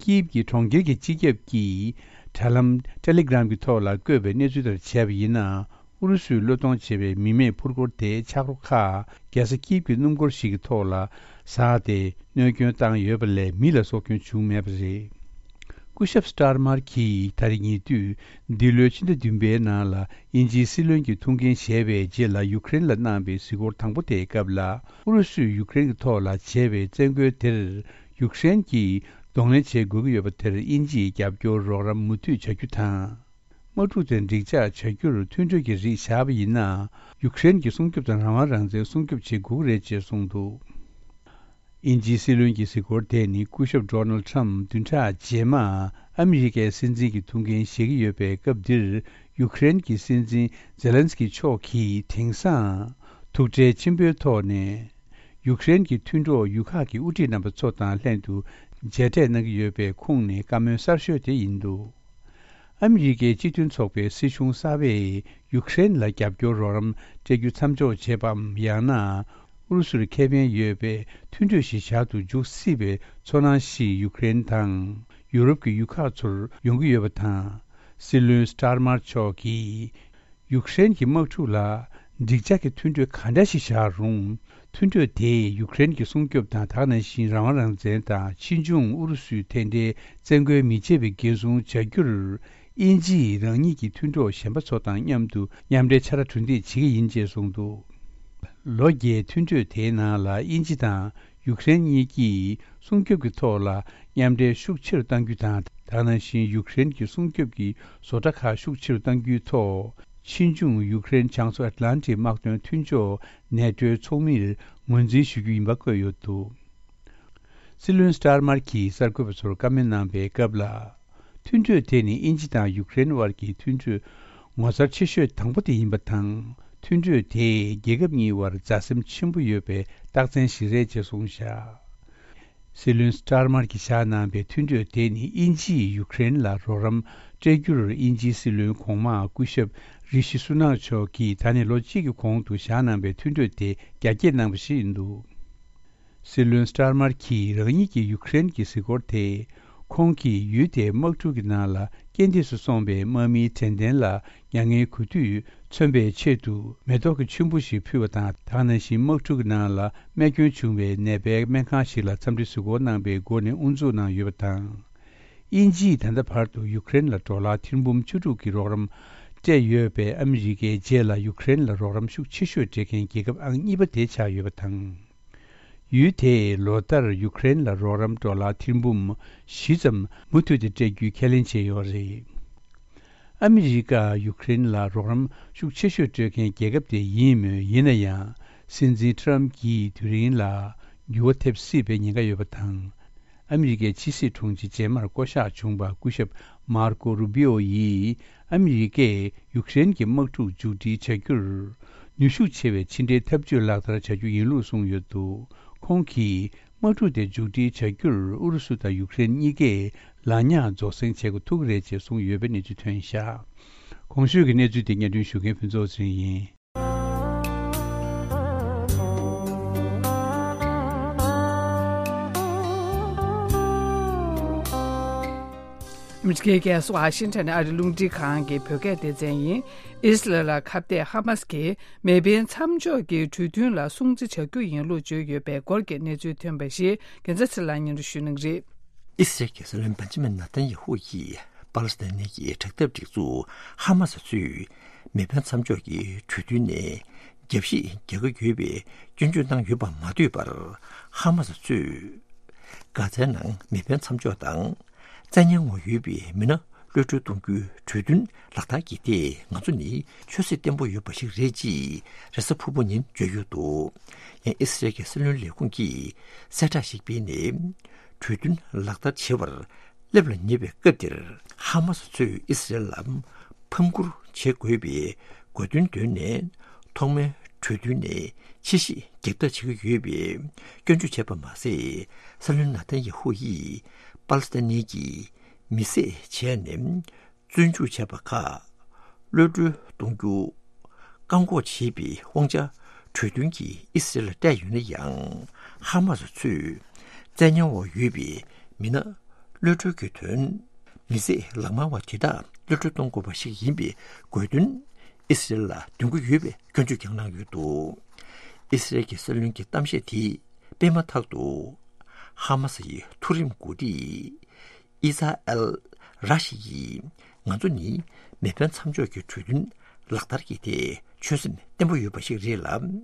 ཀིབ་ཀྱི་གྲོང་ཁྱེར་གྱི་སྤྱི་ཁྱབ་ཀྱིས་དྲ་ལམ་ཊེ་ལི་གྷི་རམ་གྱི་ཐོག་ལ་བཀོད་པའི་གནས་ཚུལ་ལྟར་བྱས་པ་ཡིན་ན། ཨུ་རུ་སུས་གློད་གཏོང་བྱས་པའི་མི་མེད་འཕུར་འཁོར་དེའི་ཆག་རོ་ཁག་རྒྱལ་ས་ཀིབ་ཀྱི་སྣུམ་འཁོར་ཞིག་གི་ཐོག་ལ་ཟགས་ཏེ་གནོད་སྐྱོན་བཏང་ཡོད་པ་ལས། མི་ལ་སྲོག་སྐྱོན་བྱུང་མེད་པ་རེད། སྐུ་ཞབས་སི་ཊར་མར་གྱིས་ད་རེས་ཉེ་དུས་འདི་ལོའི་ཕྱི་ཟླ་བདུན་པའི་ནང་ལ་དབྱིན་ཇིའི་སྲིད་བློན་གྱི་ཐུགས་འགན་བཞེས་པའི་རྗེས་ལ་ཡུཀ་རེན་ལ་གནང་པའི་གཟིགས་སྐོར་དང་པོ་དེའི་སྐབས་ལ། ཨུ་རུ་སུས་ཡུཀ་རེན་གྱི་ཐོག་ལ་བྱས་པའི་བཙན་རྒོལ་དེར་ཡུཀ་རེན་གྱིས་གདོང་ལེན་བྱེད་དགོས་ཀྱི་ཡོད་པ་དེར་དབྱིན་ཇིས་རྒྱབ་སྐྱོར་རོགས་རམ་མུ་མཐུད་བྱ་རྒྱུ་དང་། དམག་འཁྲུག་དེ་འགྲིག་འཇགས་བྱ་རྒྱུར་མཐུན་གྲོས་ཀྱི་རིགས་བཞག་པ་ཡིན་ན། ཡུཀ་རེན་གྱི་སྲུང་སྐྱོབ་དང་རང་དབང་རང་བཙན་སྲུང་སྐྱོབ་བྱེད་དགོས་ཀྱི་རེད་ཅེས་གསུངས་འདུག། དབྱིན་ཇིའི་སྲིད་བློན་གྱི་གཟིགས་སྐོར་དེ་ནི་སྐུ་ཞབས་ཌོ་ནལ་ཊྲམ་བདུན་ཕྲག་རྗེས་མ་ཨ་མི་རི་ཀའི་སྲིད་འཛིན་གྱི་ཐུགས་འགན་བཞེས་ཀྱི་ཡོད་པའི་སྐབས་འདིར། ཡུཀ་རེན་གྱི་སྲིད་འཛིན་ཛེ་ལན་སི་ཀི་མཆོག་གིས་དེང་སང་ཐུགས་ཁྲལ་ཆེན་པོའི་ཐོག་ནས། ཡུཀ་རེན་གྱི་མཐུན་གྲོགས་ཡུལ་ཁག་གི་དབུ་ཁྲིད་རྣམ་པ་ཚོ་དང་ལྷན་དུ་མཇལ་འཕྲད་གནང་གི་ཡོད་པའི་ཁོངས་ནས་བཀའ་མོལ་གསར་ཤོས་དེ་ཡིན་འདུག། ཨ་མི་རི་ཀའི་སྤྱི་མཐུན་ཚོགས་པའི་སྲིད་གཞུང་གསར་པས་ཡུཀ་རེན་ལ་རྒྱབ་སྐྱོར་རོགས་རམ་སྤྲད་རྒྱུ་མཚམས་འཇོག་བྱས་པའམ། ཡང་ན་ཨུ་རུ་སུར་ཁེ་ཕན་ཡོད་པའི་མཐུན་གྲོས་ཤིག་བཞག་ཏུ་འཇུག་སྲིད་པའི་ཚོར་སྣང་ཞིག་ཡུཀ་རེན་དང་ཡུ་རོབ་ཀྱི་ཡུལ་ཁག་ཚོར་ཡོང་གི་ཡོད་པ་དང་། སྲིད་བློན་སི་ཊར་མར་མཆོག་གིས། ཡུཀ་རེན་གྱི་དམག་འཁྲུག་ལ་འགྲིག་འཇགས་ཀྱི་མཐུན་གྲོས་ག་འདྲ་ཞིག་བཞག་རུང་། མཐུན་གྲོས་དེས་ཡུཀ་རེན་གྱི་སྲུང་སྐྱོབ་དང་། ད་ག་ནང་བཞིན་རང་དབང་རང་བཙན་དང་། ཕྱིས་འབྱུང་ཨུ་རུ་སུས་དེ་འདྲའི་བཙན་རྒོལ་མི་བྱེད་པའི་འགན་སྲུང་བྱ་རྒྱུར། དབྱིན་ཇིས་རང་ཉིད་ཀྱི་མཐུན་གྲོགས་གཞན་པ་ཚོ་དང་མཉམ་དུ་མཉམ་འབྲེལ་ཆ་ར་གྲུ་འདེགས་བྱེད་ཀྱི་ཡིན་ཅེས་གསུངས་འདུག། ལོ་བརྒྱའི་མཐུན་གྲོས་དེའི་ནང་ལ་དབྱིན་ཇི་དང་ཡུཀ་རེན་གཉིས་ཀྱིས་སྲུང་སྐྱོབ་ཀྱི་ཐོག་ལ་མཉམ་འབྲེལ་ཤུགས་ཆེ་རུ་གཏང་རྒྱུ་དང་། ད་ག་ནང་བཞིན་ཡུཀ་རེན་གྱི་སྲུང་སྐྱོབ་ཀྱི་བཟོ་གྲྭ་ཁག་ཤུགས་ཆེ་རུ་གཏང་རྒྱུའི་ཐོག། ཕྱིས་འབྱུང་ཡུཀ་རེན་བྱང་མཚོ་ཨེཊ་ལན་ཊིག་དམག་དོན་མཐུན་ཕྱོགས་ནེ་ཊོའི་ཚོགས་མིར་ངོས་འཛིན་ཞུ་རྒྱུ་ཡིན་པ་བཀོད་ཡོད་འདུག། སྲིད་བློན་སི་ཊར་མར་གྱིས་གསར་འགོད་པ་ཚོར་བཀའ་མོལ་གནང་པའི་སྐབས་ལ། མཐུན་གྲོས་དེ་ནི་དབྱིན་ཇི་དང་ཡུཀ་རེན་དབར་གྱི་མཐུན་གྲོས་ངོ་མཚར་ཆེ་ཤོས་དང་པོ་དེ་ཡིན་པ་དང་། མཐུན་གྲོས་དེས་རྒྱལ་ཁབ་གཉིས་དབར་མཛའ་སེམས་ཆེན་པོ་ཡོད་པའི་རྟགས་མཚན་ཞིག་རེད་ཅེས་གསུངས་བཞག། སྲིད་བློན་སི་ཊར་མར་གྱིས་བཞག་གནང་པའི་མཐུན་གྲོས་དེ་ནི་དབྱིན་ཇིས་ཡུཀ་རེན་ལ་རོགས་རམ་སྤྲད་རྒྱུར་དབྱིན་ཇིའི་སྲིད་བློན་གོང་མ་སྐུ་ཞབས་རི་ཤི་སུ་ནག་མཆོག་གིས་ད་ནི་ལོ་གཅིག་གི་གོང་དུ་བཞག་གནང་པའི་མཐུན་གྲོས་དེ་རྒྱ་སྐྱེད་གནང་བ་ཞིག་ཡིན་འདུག། སྲིད་བློན་སི་ཊར་མར་གྱིས་རང་ཉིད་ཀྱི་ཡུཀ་རེན་གྱི་གཟིགས་སྐོར་དེ། ཁོང་གིས་ཡུལ་དེའི་དམག་འཁྲུག་གི་ནང་ལ་རྐྱེན་འདས་སུ་སོང་བའི་དམག་མིའི་དྲན་རྟེན་ལ་མྱ་ངན་གུས་འདུད་མཚོན་པའི་ཆེད་དུ་མེ་ཏོག་གི་ཆུན་པོ་ཞིག་ཕུལ་བ་དང་། ད་ག་ནང་བཞིན་དམག་འཁྲུག་གི་ནང་ལ་རྨས་སྐྱོན་བྱུང་བའི་ནད་པའི་སྨན་ཁང་ཞིག་ལ་འཚམས་འདྲི་གཟིགས་སྐོར་གནང་པའི་སྒོ་ནས་དབུ་འཛུགས་གནང་ཡོད་པ་དང་། དབྱིན་ཇིས་ད་ལྟ་བར་དུ་ཡུཀ་རེན་ལ་ཌོ་ལར་ཐེར་འབུམ་བཅུ་དྲུག་གི་རོགས་རམ་སྤྲད་ཡོད་པས། ཨ་མི་རི་ཀའི་རྗེས་ལ་ཡུཀ་རེན་ལ་རོགས་རམ་ཤུགས་ཆེ་ཤོས་སྤྲད་མཁན་རྒྱལ་ཁབ་ཨང་གཉིས་པ་དེ་ཆགས་ཡོད་པ་དང་། ཡུལ་དེས་ལོ་ལྟར་ཡུཀ་རེན་ལ་རོགས་རམ་ཌོ་ལར་ཐེར་འབུམ་བཞི་ཙམ་མུ་མཐུད་དེ་སྤྲད་རྒྱུའི་ཁས་ལེན་བྱས་ཡོད་རེད། ཨ་མི་རི་ཀ་ཡུཀ་རེན་ལ་རོགས་རམ་ཤུགས་ཆེ་ཤོས་སྤྲོད་མཁན་རྒྱལ་ཁབ་དེ་ཡིན་མོད། ཡིན་ན་ཡང་། སྲིད་འཛིན་ཊྲམ་གྱི་དུས་རིང་ལ་འགྱུར་བ་ཐེབས་སྲིད་པའི་ཉེན་ཁ་ཡོད་པ་དང་། ཨ་མི་རི་ཀའི་ཕྱི་སྲིད་དྲུང་ཆེ་རྗེས་མར་བསྐོ་གཞག་བྱུང་བ་སྐུ་ཞབས་མར་ཀོ་རུ་བི་ཨོ་ཡིས། ཨ་མི་རི་ཀས་ཡུཀ་རེན་གྱི་དམག་འཁྲུག་མཇུག་སྒྲིལ་བྱ་རྒྱུར། ནུས་ཤུགས་ཆེ་བའི་ཕྱི་འབྲེལ་འཐབ་ཇུས་ལག་བསྟར་བྱ་རྒྱུ་ཡིན་ལུགས་གསུངས་ཡོད་འདུག་ཁོང་གིས་དམག་འཁྲུག་དེ་མཇུག་སྒྲིལ་བྱ་རྒྱུར་ཨུ་རུ་སུ་དང་ཡུཀ་རེན་གཉིས་ཀས་ལག་ཉག་རྫོགས་སེང་བྱེད་དགོས་ཐུག་གི་རེད་ཅེས་གསུངས་ཡོད་པའི་གནས་ཚུལ་ཐོན་བཞག་གོང་ཞུས་ཀྱི་གནས་ཚུལ་དེ་སྙན་སྒྲོན་ཞུ་མཁན་ཕུན་ཚོགས་ཚེ་རིང་ཡིན། ཨ་མི་རི་ཀའི་རྒྱལ་ས་ཝ་ཤིང་ཊོན་ནས་ཨ་རིའི་རླུང་འཕྲིན་ཁང་གི་བོད་སྐད་སྡེ་ཚན་ཡིན། ཨི་སི་རེལ་ལ་ཁ་གཏད་ཧ་མ་སི་ཀྱིས་མེ་འཕེན་མཚམས་འཇོག་གི་གྲོས་མཐུན་ལ་སྲུང་བརྩི་བྱ་རྒྱུ་ཡིན་ལུགས་བརྗོད་ཡོད་པའི་སྐོར་གྱི་གནས་ཚུལ་ཐོན་པ་ཞིག་རྒྱལ་མཚན་ཚེ་ལགས་སྙན་སྒྲོན་ཞུ་གནང་གི་རེད། ཨི་སི་རེལ་གྱི་སྲིད་བློན་བན་ཇི་མིན་ནཱ་ཐན་ཡ་ཧུ་ཡིས་པ་ལི་སི་ཐན་ནི་གྱི་དྲག་འཐབ་སྒྲིག་འཛུགས་ཧ་མ་སི་ཚོས་མེ་འཕེན་མཚམས་འཇོག་གི་གྲོས་མཐུན་ནས་རྒྱབ་བཤིག་རྒྱག་གི་ཡོད་པའི་སྐྱོན་བརྗོད་གནང་ཡོད་པ་མ་ཐོས་པར། ཧ་མ་སི་ཚོས་གྷ་ཛའི་ནང་མེ་འཕེན་མཚམས་འཇོག་དང་། བཙན་ཉར་འོག་ཡོད་པའི་མི་སྣ་གློད་གྲོལ་གཏོང་རྒྱུའི་གྲོས་མཐུན་ལག་བསྟར་གྱིས་ཏེ་ང་ཚོ་ནི་ཆོས་སྲིད་བརྟན་པོ་ཡོད་པ་ཞིག་རེད་ཅེས་རེས་གཟའ་ཕུར་བུ་ཉིན་བརྗོད་ཡོད་འདུག་ཡང་ཨི་སི་རེལ་གྱི་སྲིད་བློན་ལས་ཁུངས་ཀྱིས་གསལ་བསྒྲགས་ཤིག་སྤེལ་ནས། གྲོས་མཐུན་ལག་བསྟར་བྱེད་པར་སླེབས་ལ་ཉེ་བའི་སྐབས་འདིར་ཧ་མ་སི་ཚོས་ཨི་སི་རེལ་ལ་ཕམ་བསྐུར་བྱེད་དགོས་པའི་དགོས་འདུན་བཏོན་ནས། ཐོག་མའི་གྲོས་མཐུན་ནས་ཕྱིར་བཤིག་རྒྱག་ཐབས་བྱེད་ཀྱི་ཡོད་པའི་སྐྱོན་བརྗོད་བྱས་པ་མ་ཟད། སྲིད་བློན་ནཱ་ཐན་ཡ་ཧུ་ཡིས་པ་ལི་སི་ཐན་ནི་གྱི་མི་བསད་བྱས་ནས་བཙོན་འཇུག་བྱས་པ་ཁག་གློད་གྲོལ་གཏོང་རྒྱུ་བཀག་འགོག་བྱེད་པའི་དབང་ཆ་གྲོས་མཐུན་གྱིས་ཨི་སི་རེལ་ལ་སྤྲད་ཡོད་ན་ཡང་། ཧ་མ་སི་ཚོས་བཙན་ཉར་འོག་ཡོད་པའི་མི་སྣ་གློད་གྲོལ་གྱི་དོན། མི་བསད་ལག་དམར་བ་དེ་དག་གློད་གྲོལ་གཏོང་དགོས་པ་ཞིག་ཡིན་པའི་དགོས་འདུན་ཨི་སི་རེལ་ལ་འདོན་གྱི་ཡོད་པའི་སྐྱོན་བརྗོད་ཀྱང་གནང་ཡོད་འདུག་ཨི་སི་རེལ་གྱི་སྲིད་བློན་གྱི་གཏམ་བཤད་དེ་སྤེལ་མ་ཐག་ཏུ། ཧ་མ་སི་ཡི་མཐོ་རིམ་འགོ་ཁྲིད་ཨི་ས་ཨེལ་ར་ཤི་ཡིས་ང་ཚོ་ནི་མེ་འཕེན་མཚམས་འཇོག་གི་གྲོས་མཐུན་ལག་བསྟར་གྱིས་ཏེ་ཆོད་སེམས་བརྟན་པོ་ཡོད་པ་ཞིག་རེད་ལ།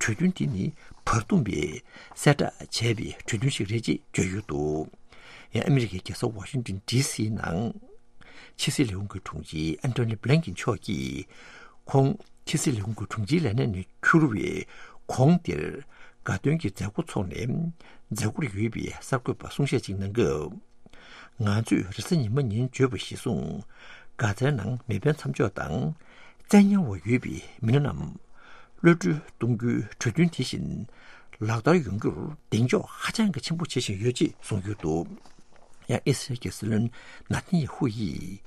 གྲོས་མཐུན་དེ་ནི་བར་འདུམ་པས་གསལ་བསྒྲགས་བྱས་པའི་གྲོས་མཐུན་ཞིག་རེད་ཅེས་བརྗོད་ཡོད་འདུག་ཡང་ཨ་མི་རི་ཀའི་རྒྱལ་ས་ཝ་ཤིང་ཏོན་ཌི་སི་ནང་ཕྱི་སྲིད་ལས་ཁུངས་ཀྱི་དྲུང་ཆེ་ཨན་ཐོ་ནི་བྷི་ལིན་ཀིན་མཆོག་གིས་ཁོང་ཕྱི་སྲིད་ལས་ཁུངས་ཀྱི་དྲུང་ཆེའི་ལས་གནས་ནས་འཁུར་བའི་གོང་དེར་དགའ་སྟོན་གྱི་མཛད་སྒོ་འཚོགས་ནས་མཛད་སྒོར་ཡོད་པའི་གསར་འགོད་པར་གསུང་བཤད་ཅིག་གནང་སྐབས། ང་ཚོས་རེས་གཟའ་ཉི་མ་ཉིན་བརྗོད་པ་གཞིར་བཟུང་། གྷ་ཛའི་ནང་མེ་འཕེན་མཚམས་འཇོག་དང་། བཙན་ཉར་འོག་ཡོད་པའི་མི་སྣ་རྣམས་གློད་གྲོལ་གཏོང་རྒྱུའི་གྲོས་མཐུན་དེ་བཞིན་ལག་བསྟར་ཡོང་རྒྱུར་གདེང་འཇོག་ཧ་ཅང་གི་ཆེན་པོ་བྱེད་བཞིན་ཡོད་ཅེས་གསུངས་ཡོད་འདུག་ཡང་ཨི་སི་རལ་གྱི་སྲིད་བློན་ནཱ་ཐན་ཡ་ཧུ་ཡིས་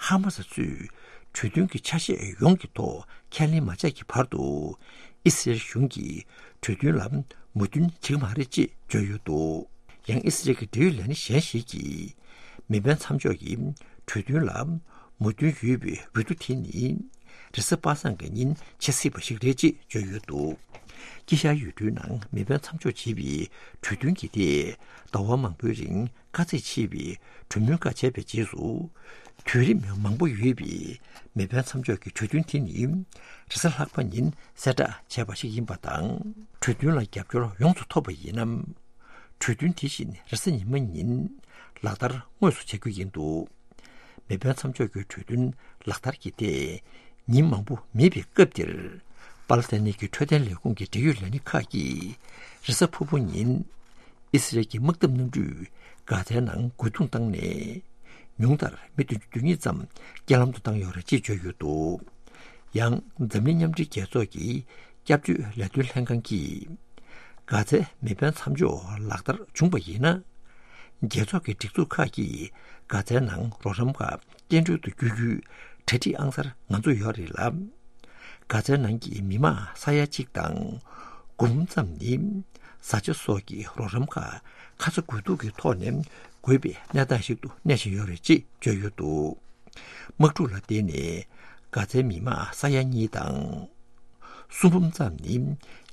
ཧ་མ་སི་ཚོས་གྲོས་མཐུན་གྱི་ཆ་ཤས་ཡོངས་ཀྱི་ཐོག་ཁས་ལེན་མ་བྱས་ཀྱི་བར་དུ་ཨི་སི་རལ་གཞུང་གིས་གྲོས་མཐུན་ལ་མོས་མཐུན་བྱེད་ཀྱི་མ་རེད་ཅེས་བརྗོད་ཡོད་འདུག་ཡང་ཨི་སི་རལ་གྱི་འབྲེལ་ཡོད་ལས་སྣེ་གཞན་ཞིག་གིས་མེ་འཕེན་མཚམས་འཇོག་གི་གྲོས་མཐུན་ལ་མོས་མཐུན་ཡོད་པའི་འོས་བསྡུ་དེ་ནི་རེས་གཟའ་པ་སངས་ཀྱི་ཉིན་བྱེད་སྲིད་པ་ཞིག་རེད་ཅེས་བརྗོད་ཡོད་འདུག་དཀྱིལ་ཤར་ཡུལ་གྲུའི་ནང་མེ་འཕེན་མཚམས་འཇོག་བྱེད་པའི་གྲོས་མཐུན་གྱི་ཐད་ཟླ་བ་མང་པོའི་རིང་དཀའ་ཚེགས་ཆེ་བའི་གྲོས་མོལ་ཁག་བྱས་པའི་རྗེས་སུ། དུས་རིམ་མང་པོ་ཡོད་པའི་མེ་འཕེན་མཚམས་འཇོག་གི་གྲོས་མཐུན་དེ་ནི་རེས་གཟའ་ལྷག་པ་ཉིན་གསལ་བསྒྲགས་བྱས་པ་ཞིག་ཡིན་པ་དང་། གྲོས་མཐུན་ལ་རྒྱབ་སྐྱོར་ཡོངས་སུ་ཐོབ་པ་ཡིན་ན། གྲོས་མཐུན་དེ་བཞིན་རེས་གཟའ་ཉི་མ་ཉིན་ལག་བསྟར་དངོས་སུ་བྱ་རྒྱུ་ཡིན་འདུག་མེ་འཕེན་མཚམས་འཇོག་གི་གྲོས་མཐུན་ལག་བསྟར་གྱི་ཐད་ཉིན་མང་པོ་མེད་པའི་སྐབས་འདིར། པ་ལི་སི་ཐན་ནི་གི་འཕྲོད་བསྟེན་ལས་ཁུངས་ཀྱི་འབྲེལ་ཡོད་ལས་སྣེ་ཁག་གིས་རེས་གཟའ་ཕུར་བུ་ཉིན་ཨི་སི་རལ་གྱི་དམག་འཐབ་གནམ་གྲུས་གྷ་ཛའི་ནང་རྒོལ་རྡུང་བཏང་ནས། ཉུང་མཐར་མི་བདུན་ཅུ་དོན་གཉིས་ཙམ་རྐྱེན་ལམ་དུ་བཏང་ཡོད་རེད་ཅེས་བརྗོད་ཡོད་འདུག་ཡང་འཛམ་གླིང་མཉམ་འབྲེལ་རྒྱལ་ཚོགས་ཀྱི་སྐྱབས་བཅོལ་ལས་དོན་ལྷན་ཁང་གིས། གྷ་ཛའི་མེ་འཕེན་མཚམས་འཇོག་ལག་བསྟར་བྱུང་བ་ཡིན་ན། རྒྱལ་ཚོགས་ཀྱི་སྒྲིག་འཛུགས་ཁག་གིས་གྷ་ཛའི་ནང་རོགས་རམ་ཁག་སྐྱེལ་འགྲོལ་དུ་བསྐྱོད་རྒྱུའི་གྲ་སྒྲིག་ཨང་གསར་ང་ཚོ་ཡོད་རེད་ལ། གྷ་ཛའི་ནང་གི་མི་མང་ས་ཡ་གཅིག་དང་། དགུ་འབུམ་ཙམ་ནི་བཟའ་བཅའ་སོགས་ཀྱི་རོགས་རམ་ཁག་ཁ་ཚ་དགོས་གཏུགས་ཀྱི་ཐོག་ནས་དགོས་པའི་གནས་སྟངས་ཤིག་ཏུ་གནས་བཞིན་ཡོད་རེད་ཅེས་བརྗོད་ཡོད་འདུག་དམག་འཁྲུག་ལ་བརྟེན་ནས་གྷ་ཛའི་མི་མང་ས་ཡ་གཉིས་དང་། སུམ་འབུམ་ཙམ་ནི་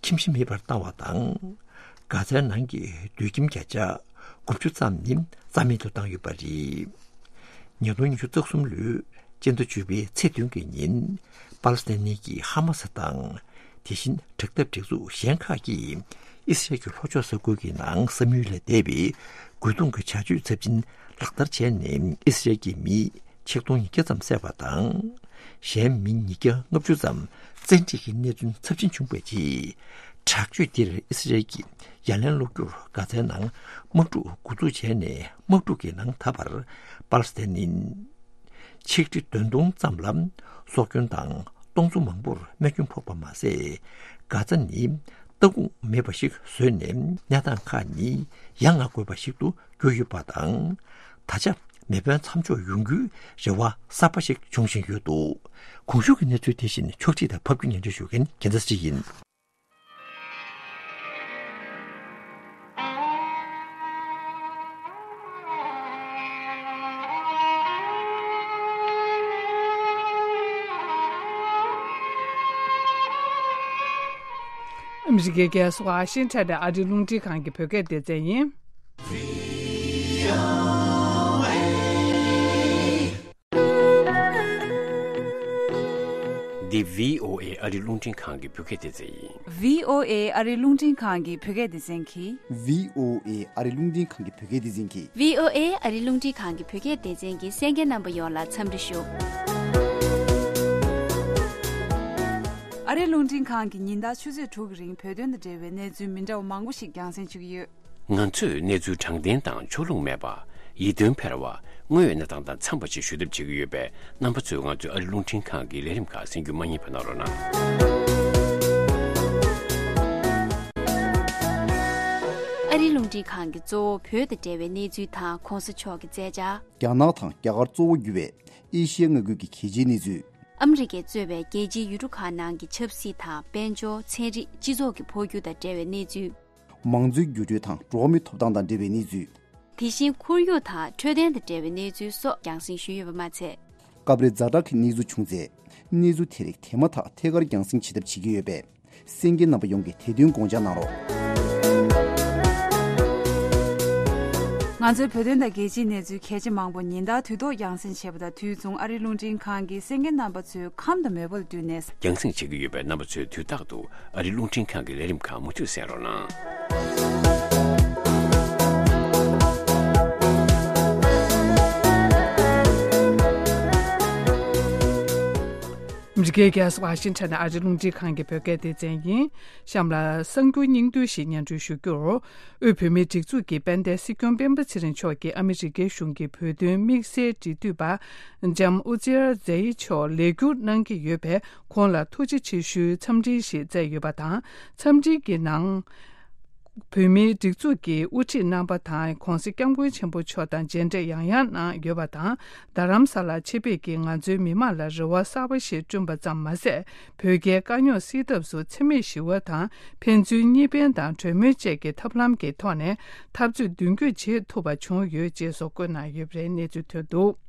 ཁྱིམ་གཞིས་མེད་པར་བཏང་བ་དང་། གྷ་ཛའི་ནང་གི་སྡོད་ཁྱིམ་བརྒྱ་ཆ་དགུ་བཅུ་ཙམ་ནི་རྩ་མེད་དུ་བཏང་ཡོད་པ་རེད། ཉིས་སྟོང་ཉི་ཤུ་རྩ་གསུམ་ལོའི་སྤྱི་ཟླ་བཅུ་པའི་ཚེས་བདུན་གྱི་ཉིན་པ་ལི་སི་ཐན་ནི་གི་ཧ་མ་སི་དང་། དེ་བཞིན་དྲག་འཐབ་སྒྲིག་འཛུགས་གཞན་ཁག་གིས་ཨི་སི་རལ་གྱི་ལྷོ་ཕྱོགས་ས་ཁུལ་གྱི་ནང་བསམ་ཡུལ་ལས་འདས་པའི་རྒོལ་རྡུང་གི་བྱ་སྤྱོད་ཚབས་ཆེན་ལག་བསྟར་བྱས་ནས་ཨི་སི་རལ་གྱི་མི་ཆིག་སྟོང་ཉིས་བརྒྱ་ཙམ་བསད་པ་དང་། གཞན་མི་ཉིས་བརྒྱ་ལྔ་བཅུ་ཙམ་བཙན་ཁྲིད་ཀྱི་གནས་ཚུལ་ཚབས་ཆེན་བྱུང་བའི་རྗེས། དྲག་སྤྱོད་འདིར་ཨི་སི་རལ་གྱིས་ཡ་ལན་སློག་རྒྱུར་གྷ་ཛའི་ནང་དམག་འཁྲུག་འགོ་འཛུགས་བྱས་ནས་དམག་འཁྲུག་གི་ནང་ད་བར་པ་ལི་སི་ཐན་ནི་ཆིག་ཁྲི་བདུན་སྟོང་ཙམ་ལ་སྲོག་སྐྱོན་དང་ སྟོང་ཚོ་མང་པོར་རྨས་སྐྱོན་ཕོག་པ་མ་ཟད། གྷ་ཛ་ནི་ལྟ་ཁུངས་མེད་པ་ཞིག་བཟོས་ནས། གནས་སྟངས་ཁག་ནི་ཡ་ང་དགོས་པ་ཞིག་ཏུ་གྱུར་ཡོད་པ་དང་། ད་ཆ་མེ་འཕེན་མཚམས་འཇོག་ཡོང་རྒྱུའི་རེ་བ་གསར་པ་ཞིག་འབྱུང་བཞིན་ཡོད་འདུག། གོང་ཞུས་ཀྱི་གནས་ཚུལ་དེ་བཞིན་ཕྱོགས་སྒྲིག་དང་ཕབ་སྒྱུར་སྙན་སྒྲོན་ཞུ་མཁན་རྒྱལ་མཚན་ཚེ་རིང་ཡིན། ཨ་མི་རི་ཀའི་རྒྱལ་ས་ཝ་ཤིང་ཊོན་ནས་ཨ་རིའི་རླུང་འཕྲིན་ཁང་གི་བོད་སྐད་སྡེ་ཚན་ཡིན། འདི་བྷི་ཨོ་ཨེ་ཨ་རིའི་རླུང་འཕྲིན་ཁང་གི་བོད་སྐད་སྡེ་ཚན་ཡིན། བྷི་ཨོ་ཨེ་ཨ་རིའི་རླུང་འཕྲིན་ཁང་གི་བོད་སྐད་སྡེ་ཚན་གྱིས། བྷི་ཨོ་ཨེ་ཨ་རིའི་རླུང་འཕྲིན་ཁང་གི་བོད་སྐད་སྡེ་ཚན་གྱིས། བྷི་ཨོ་ཨེ་ཨ་རིའི་རླུང་འཕྲིན་ཁང་གི་བོད་སྐད་སྡེ་ཚན་གྱི་གསན་མཁན་རྣམ་པ་ཡོངས་ལ་འཚམས་འདྲི་ཞུ། ཨ་རིའི་རླུང་འཕྲིན་ཁང་གིས་ཉིན་ལྟར་ཆུ་ཚོད་དྲུག་གི་རིང་བོད་དོན་དང་འབྲེལ་བའི་གནས་ཚུལ་མི་འདྲ་བ་མང་པོ་ཞིག་རྒྱང་སྲིང་བྱེད་ཀྱི་ཡོད། ང་ཚོས་གནས་ཚུལ་དྲང་བདེན་དང་ཕྱོགས་ལྷུང་མེད་པ། ཡིད་རྟོན་འཕེར་བ། དངོས་ཡོད་གནས་སྟངས་དང་འཚམས་པ་ཞིག་ཞུ་ཐབས་བྱེད་ཀྱི་ཡོད་པས། རྣམ་པ་ཚོས་ང་ཚོའི་ཨ་རིའི་རླུང་འཕྲིན་ཁང་གི་ལས་རིམ་ཁག་གསན་རྒྱུ་མ་བསྙེལ་བ་གནང་རོགས་གནང་། ཨ་རིའི་རླུང་འཕྲིན་ཁང་གིས་གཙོ་བོ་བོད་དང་འབྲེལ་བའི་གནས་ཚུལ་དང་གོང་ས་མཆོག་གི་མཛད་འཆར། རྒྱ་ནག་དང་རྒྱ་གར་གཙོ་བོ་གྱུར་བའི་ཨེ་ཤི་ཡ་མངའ་ཁུལ་གྱི་གལ་ཆེའི་གནས་ཚུལ། ཨ་མི་རི་ཀས་གཙོས་པའི་རྒྱལ་སྤྱིའི་ཡུལ་གྲུ་ཁག་ནང་གི་ཆབ་སྲིད་དང་། དཔལ་འབྱོར། ཚན་རིག་སྤྱི་ཚོགས་ཀྱི་འཕོ་འགྱུར་དང་འབྲེལ་བའི་གནས་ཚུལ། མང་གཙོའི་འགྱུར་འགྲོས་དང་འགྲོ་བ་མིའི་ཐོབ་ཐང་དང་འབྲེལ་བའི་གནས་ཚུལ། དེ་བཞིན་ཁོར་ཡུག་དང་འཕྲོད་བསྟེན་དང་འབྲེལ་བའི་གནས་ཚུལ་སོགས་རྒྱང་སྲིང་ཞུས་ཡོད་པ་མ་ཚད། སྐབས་རེ་ཛ་དྲག་གི་གནས་ཚུལ་བྱུང་ཚེ། གནས་ཚུལ་དེ་རིགས་དེ་མ་ཐག་ཐད་ཀར་རྒྱང་སྲིང་བྱེད་ཐབས་བྱེད་ཀྱི་ཡོད་པས། གསན་མཁན་རྣམ་པ་ཡོངས་ཀྱིས་དེ་དོན་དགོངས་འཇགས་གནང་རོགས། ང་ཚོའི་བོད་དོན་དང་རྒྱལ་སྤྱིའི་གནས་ཚུལ་གལ་ཆེ་མང་པོ་ཉིན་ལྟར་དུས་ཐོག་རྒྱང་སྲིང་བྱེད་པ་དང་། དུས་མཚུངས་ཨ་རིའི་རླུང་འཕྲིན་ཁང་གིས་གསན་མཁན་རྣམ་པ་ཚོའི་ཁམས་དང་མོས་པ་ལ་བསྟུན་ནས། རྒྱང་སྲིང་བྱེད་ཀྱི་ཡོད་པས། རྣམ་པ་ཚོས་དུས་རྟག་ཏུ་ཨ་རིའི་རླུང་འཕྲིན་ཁང་གི་ལས་རིམ་ཁག་མུ་མཐུད་གསན་རོགས་གནང་། ཨ་མི་རི་ཀའི་རྒྱལ་ས་ཝ་ཤིང་ཊོན་ནས་ཨ་རིའི་རླུང་འཕྲིན་ཁང་གི་བོད་སྐད་སྡེ་ཚན་ཡིན། གཤམ་ལ་གསར་འགྱུར་སྙིང་བསྡུས་ཤིག་སྙན་སྒྲོན་ཞུ་རྒྱུར། དབུས་བོད་མིའི་སྒྲིག་འཛུགས་ཀྱི་དཔལ་ལྡན་སྲིད་སྐྱོང་སྤེན་པ་ཚེ་རིང་མཆོག་གིས་ཨ་མི་རི་ཀའི་གཞུང་གི་བོད་དོན་དམིགས་བསལ་འབྲེལ་མཐུད་པ། ལྕམ་ཨུ་ཛེར་ཛེ་ཡི་མཆོག་ལས་འཁྱུར་གནང་གི་ཡོད་པས། ཁོང་ལ་ཐུགས་རྗེ་ཆེ་ཞུའི་འཚམས་འཕྲིན་ཞིག་བསྩལ་ཡོད་པ་དང་། འཚམས་འཕྲིན་གྱི་ནང་། བོད་མིའི་སྒྲིག་འཛུགས་ཀྱི་དབུ་ཁྲིད་རྣམ་པ་དང་། ྋགོང་ས་ྋསྐྱབས་མགོན་ཆེན་པོ་མཆོག་དང་མཇལ་འཕྲད་ཡང་ཡང་གནང་ཡོད་པ་དང་། རྡ་རམ་ས་ལར་ཆེད་ཕེབས་ཀྱིས་ང་ཚོའི་མི་མང་ལ་རེ་བ་གསར་པ་ཞིག་བསྐྲུན་པ་ཙམ་མ་ཟད། བོད་རྒྱའི་དཀའ་རྙོག་སེལ་ཐབས་སུ་འཚེ་མེད་ཞི་བ་དང་། ཕན་ཚུན་གཉིས་ཕན་དང་གྲོས་མོལ་བཅས་ཀྱི་ཐབས་ལམ་གྱི་ཐོག་ནས་འཐབ་རྩོད་མདུན་སྐྱོད་བྱེད་ཐུབ་པ་བྱུང་ཡོད་ཅེས་སོགས་བཀོད་གནང་ཡོད་པའི་གནས་ཚུལ་ཐོན་འདུག།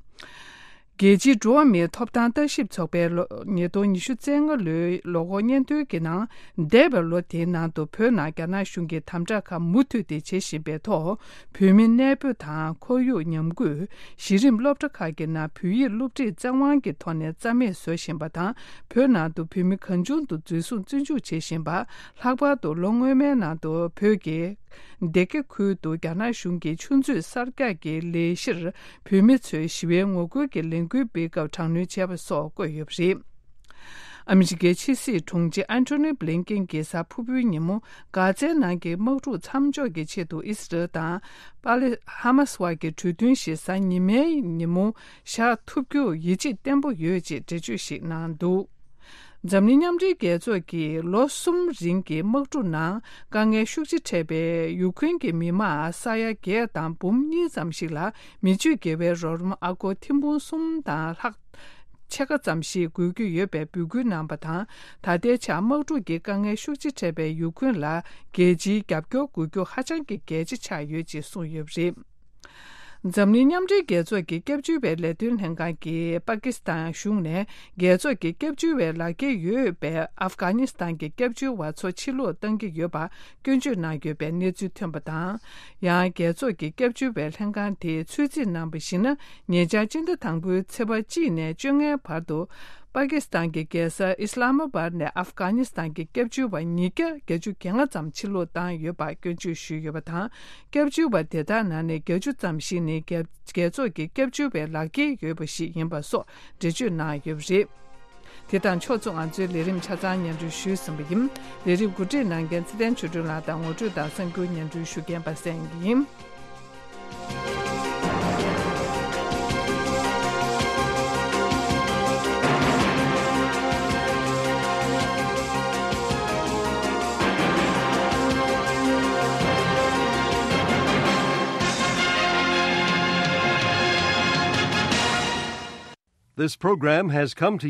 རྒྱལ་སྤྱིའི་འགྲོ་བ་མིའི་ཐོབ་ཐང་ལྟ་ཞིབ་ཚོགས་པས་ལོ་ཉིས་སྟོང་ཉི་ཤུ་རྩ་ལྔ་ལོའི་ལོ་འཁོར་སྙན་ཐོའི་ནང་། འདས་པའི་ལོ་དེའི་ནང་དུ་བོད་ནང་རྒྱ་ནག་གཞུང་གིས་དམ་དྲག་ཁག་མུ་མཐུད་དེ་བྱེད་བཞིན་པའི་ཐོག། བོད་མི་གནས་སྤོ་དང་ཁོར་ཡུག་ཉམས་རྒུད། གཞི་རིམ་སློབ་གྲྭ་ཁག་གི་ནང་བོད་ཡིག་སློབ་ཁྲིད་བཙན་དབང་གི་ཐོག་ནས་རྩ་མེད་བཟོ་བཞིན་པ་དང་། བོད་ནང་དུ་བོད་མི་གང་བྱུང་དུ་འཛིན་བཟུང་བཙོན་འཇུག་བྱེད་བཞིན་པ། ལྷག་པར་དུ་ལོ་སྔོན་མའི་ནང་དུ་བོད་ཀྱི་སྡེ་དགེ་ཁུལ་དུ་རྒྱ་ནག་གཞུང་གིས་ཆུ་མཛོད་གསར་རྒྱག་གི་ལས་གཞིར་བོད་མི་ཚོས་ཞི་བའི་ངོ་རྒོལ་གྱི་ལས་འགུལ་སྤེལ་སྐབས་དྲག་གནོན་བྱས་པ་སོགས་བཀོད་ཡོད་པ་རེད། ཨ་མི་རི་ཀའི་ཕྱི་སྲིད་དྲུང་ཆེ་ཨན་ཐོ་ནི་བྷི་ལིན་ཀེན་གྱིས་གཟའ་ཕུར་བུའི་ཉིན་མོ། གྷ་ཛའི་ནང་གི་དམག་འཁྲུག་མཚམས་འཇོག་གི་ཆེད་དུ་ཨི་སི་རལ་དང་། པ་ལི། ཧ་མ་སི་བར་གྱི་གྲོས་མཐུན་ཞིག་གཟའ་ཉི་མའི་ཉིན་མོ་བཞག་ཐུབ་རྒྱུར་ཡིད་ཆེས་བརྟན་པོ་ཡོད་ཅེས་འགྲེལ་བརྗོད་ཞིག་གནང་འདུག། འཛམ་གླིང་མཉམ་འབྲེལ་རྒྱལ་ཚོགས་ཀྱིས་ལོ་གསུམ་རིང་གི་དམག་འཁྲུག་ནང་དཀའ་ངལ་ཤུགས་ཆེ་འཕྲད་པའི་ཡུ་ཁུན་གྱི་མི་དམངས་ས་ཡ་བརྒྱད་དང་འབུམ་གཉིས་ཙམ་ཞིག་ལ་མི་ཆོས་དགེ་བའི་རོགས་རམ་ཨ་སྒོར་ཐེར་འབུམ་གསུམ་དང་ལྷག་ཕྱེད་ཀ་ཙམ་ཞིག་དགོས་ཀྱི་ཡོད་པའི་འབོད་སྐུལ་གནང་པ་དང་། ད་ལྟའི་ཆར་དམག་འཁྲུག་གི་དཀའ་ངལ་ཤུགས་ཆེ་འཕྲད་པའི་ཡུ་ཁུན་ལ་རྒྱལ་སྤྱིའི་རྒྱབ་སྐྱོར་དགོས་རྒྱུ་ཧ་ཅང་གི་གལ་ཆེ་ཆགས་ཡོད་ཅེས་གསུངས་ཡོད་པ་རེད། འཛམ་གླིང་མཉམ་འབྲེལ་རྒྱལ་ཚོགས་ཀྱི་སྐྱབས་བཅོལ་བའི་ལས་དོན་ལྷན་ཁང་གིས་པ་ཀི་སི་ཐན་གཞུང་ནས་རྒྱལ་ཚོགས་ཀྱི་སྐྱབས་བཅོལ་བའི་ལག་འཁྱེར་ཡོད་པའི་ཨབ་གྷ་ནི་སི་ཐན་གྱི་སྐྱབས་བཅོལ་བ་ཚོ་ཕྱིར་ལོག་གཏང་གི་ཡོད་པ་སྐྱོན་བརྗོད་གནང་ཡོད་པའི་གནས་ཚུལ་ཐོན་པ་དང་། ཡང་རྒྱལ་ཚོགས་ཀྱི་སྐྱབས་བཅོལ་བའི་ལྷན་ཁང་དེས་ཚོད་རྩིས་གནང་པར་གཞིགས་ན། ཉེ་ཆར་སྤྱི་ཟླ་དང་པོའི་ཚེས་པ་གཅིག་ནས་བཅོ་ལྔའི་བར་དུ། པ་ཀི་སི་ཐན་གྱི་རྒྱལ་ས་ཨི་སི་ལ་མ་བར་ནས་ཨབ་གྷ་ནི་སི་ཐན་གྱི་སྐྱབས་བཅོལ་བ་ཉིས་བརྒྱ་བརྒྱད་ཅུ་གྱ་ལྔ་ཙམ་ཕྱིར་ལོག་བཏང་ཡོད་པ་སྐྱོན་བརྗོད་ཞུས་ཡོད་པ་དང་། སྐྱབས་བཅོལ་བ་དེ་དག་ནང་ནས་བརྒྱད་ཅུ་ཙམ་ཞིག་ནི་རྒྱལ་རྒྱལ་ཚོགས་ཀྱི་སྐྱབས་བཅོལ་བའི་ལག་འཁྱེར་ཡོད་པ་ཞིག་ཡིན་པ་སོགས་འགྲེལ་བརྗོད་གནང་ཡོད་པ་རེད། དེ་དང་ཕྱོགས་མཚུངས་ང་ཚོའི་ལས་རིམ་ཆ་ཚང་སྙན་སྒྲོན་ཞུས་ཟིན་པ་ཡིན། ལས་རིམ་གོ་སྒྲིག་གནང་མཁན་ཚེ་བརྟན་ཆོས་སྒྲོན་ལགས་དང་ངོ་སྤྲོད་དང་གསར་འགྱུར་སྙན་སྒྲོན་ཞུ་མཁན་པ་སངས་ཡིན། This program has come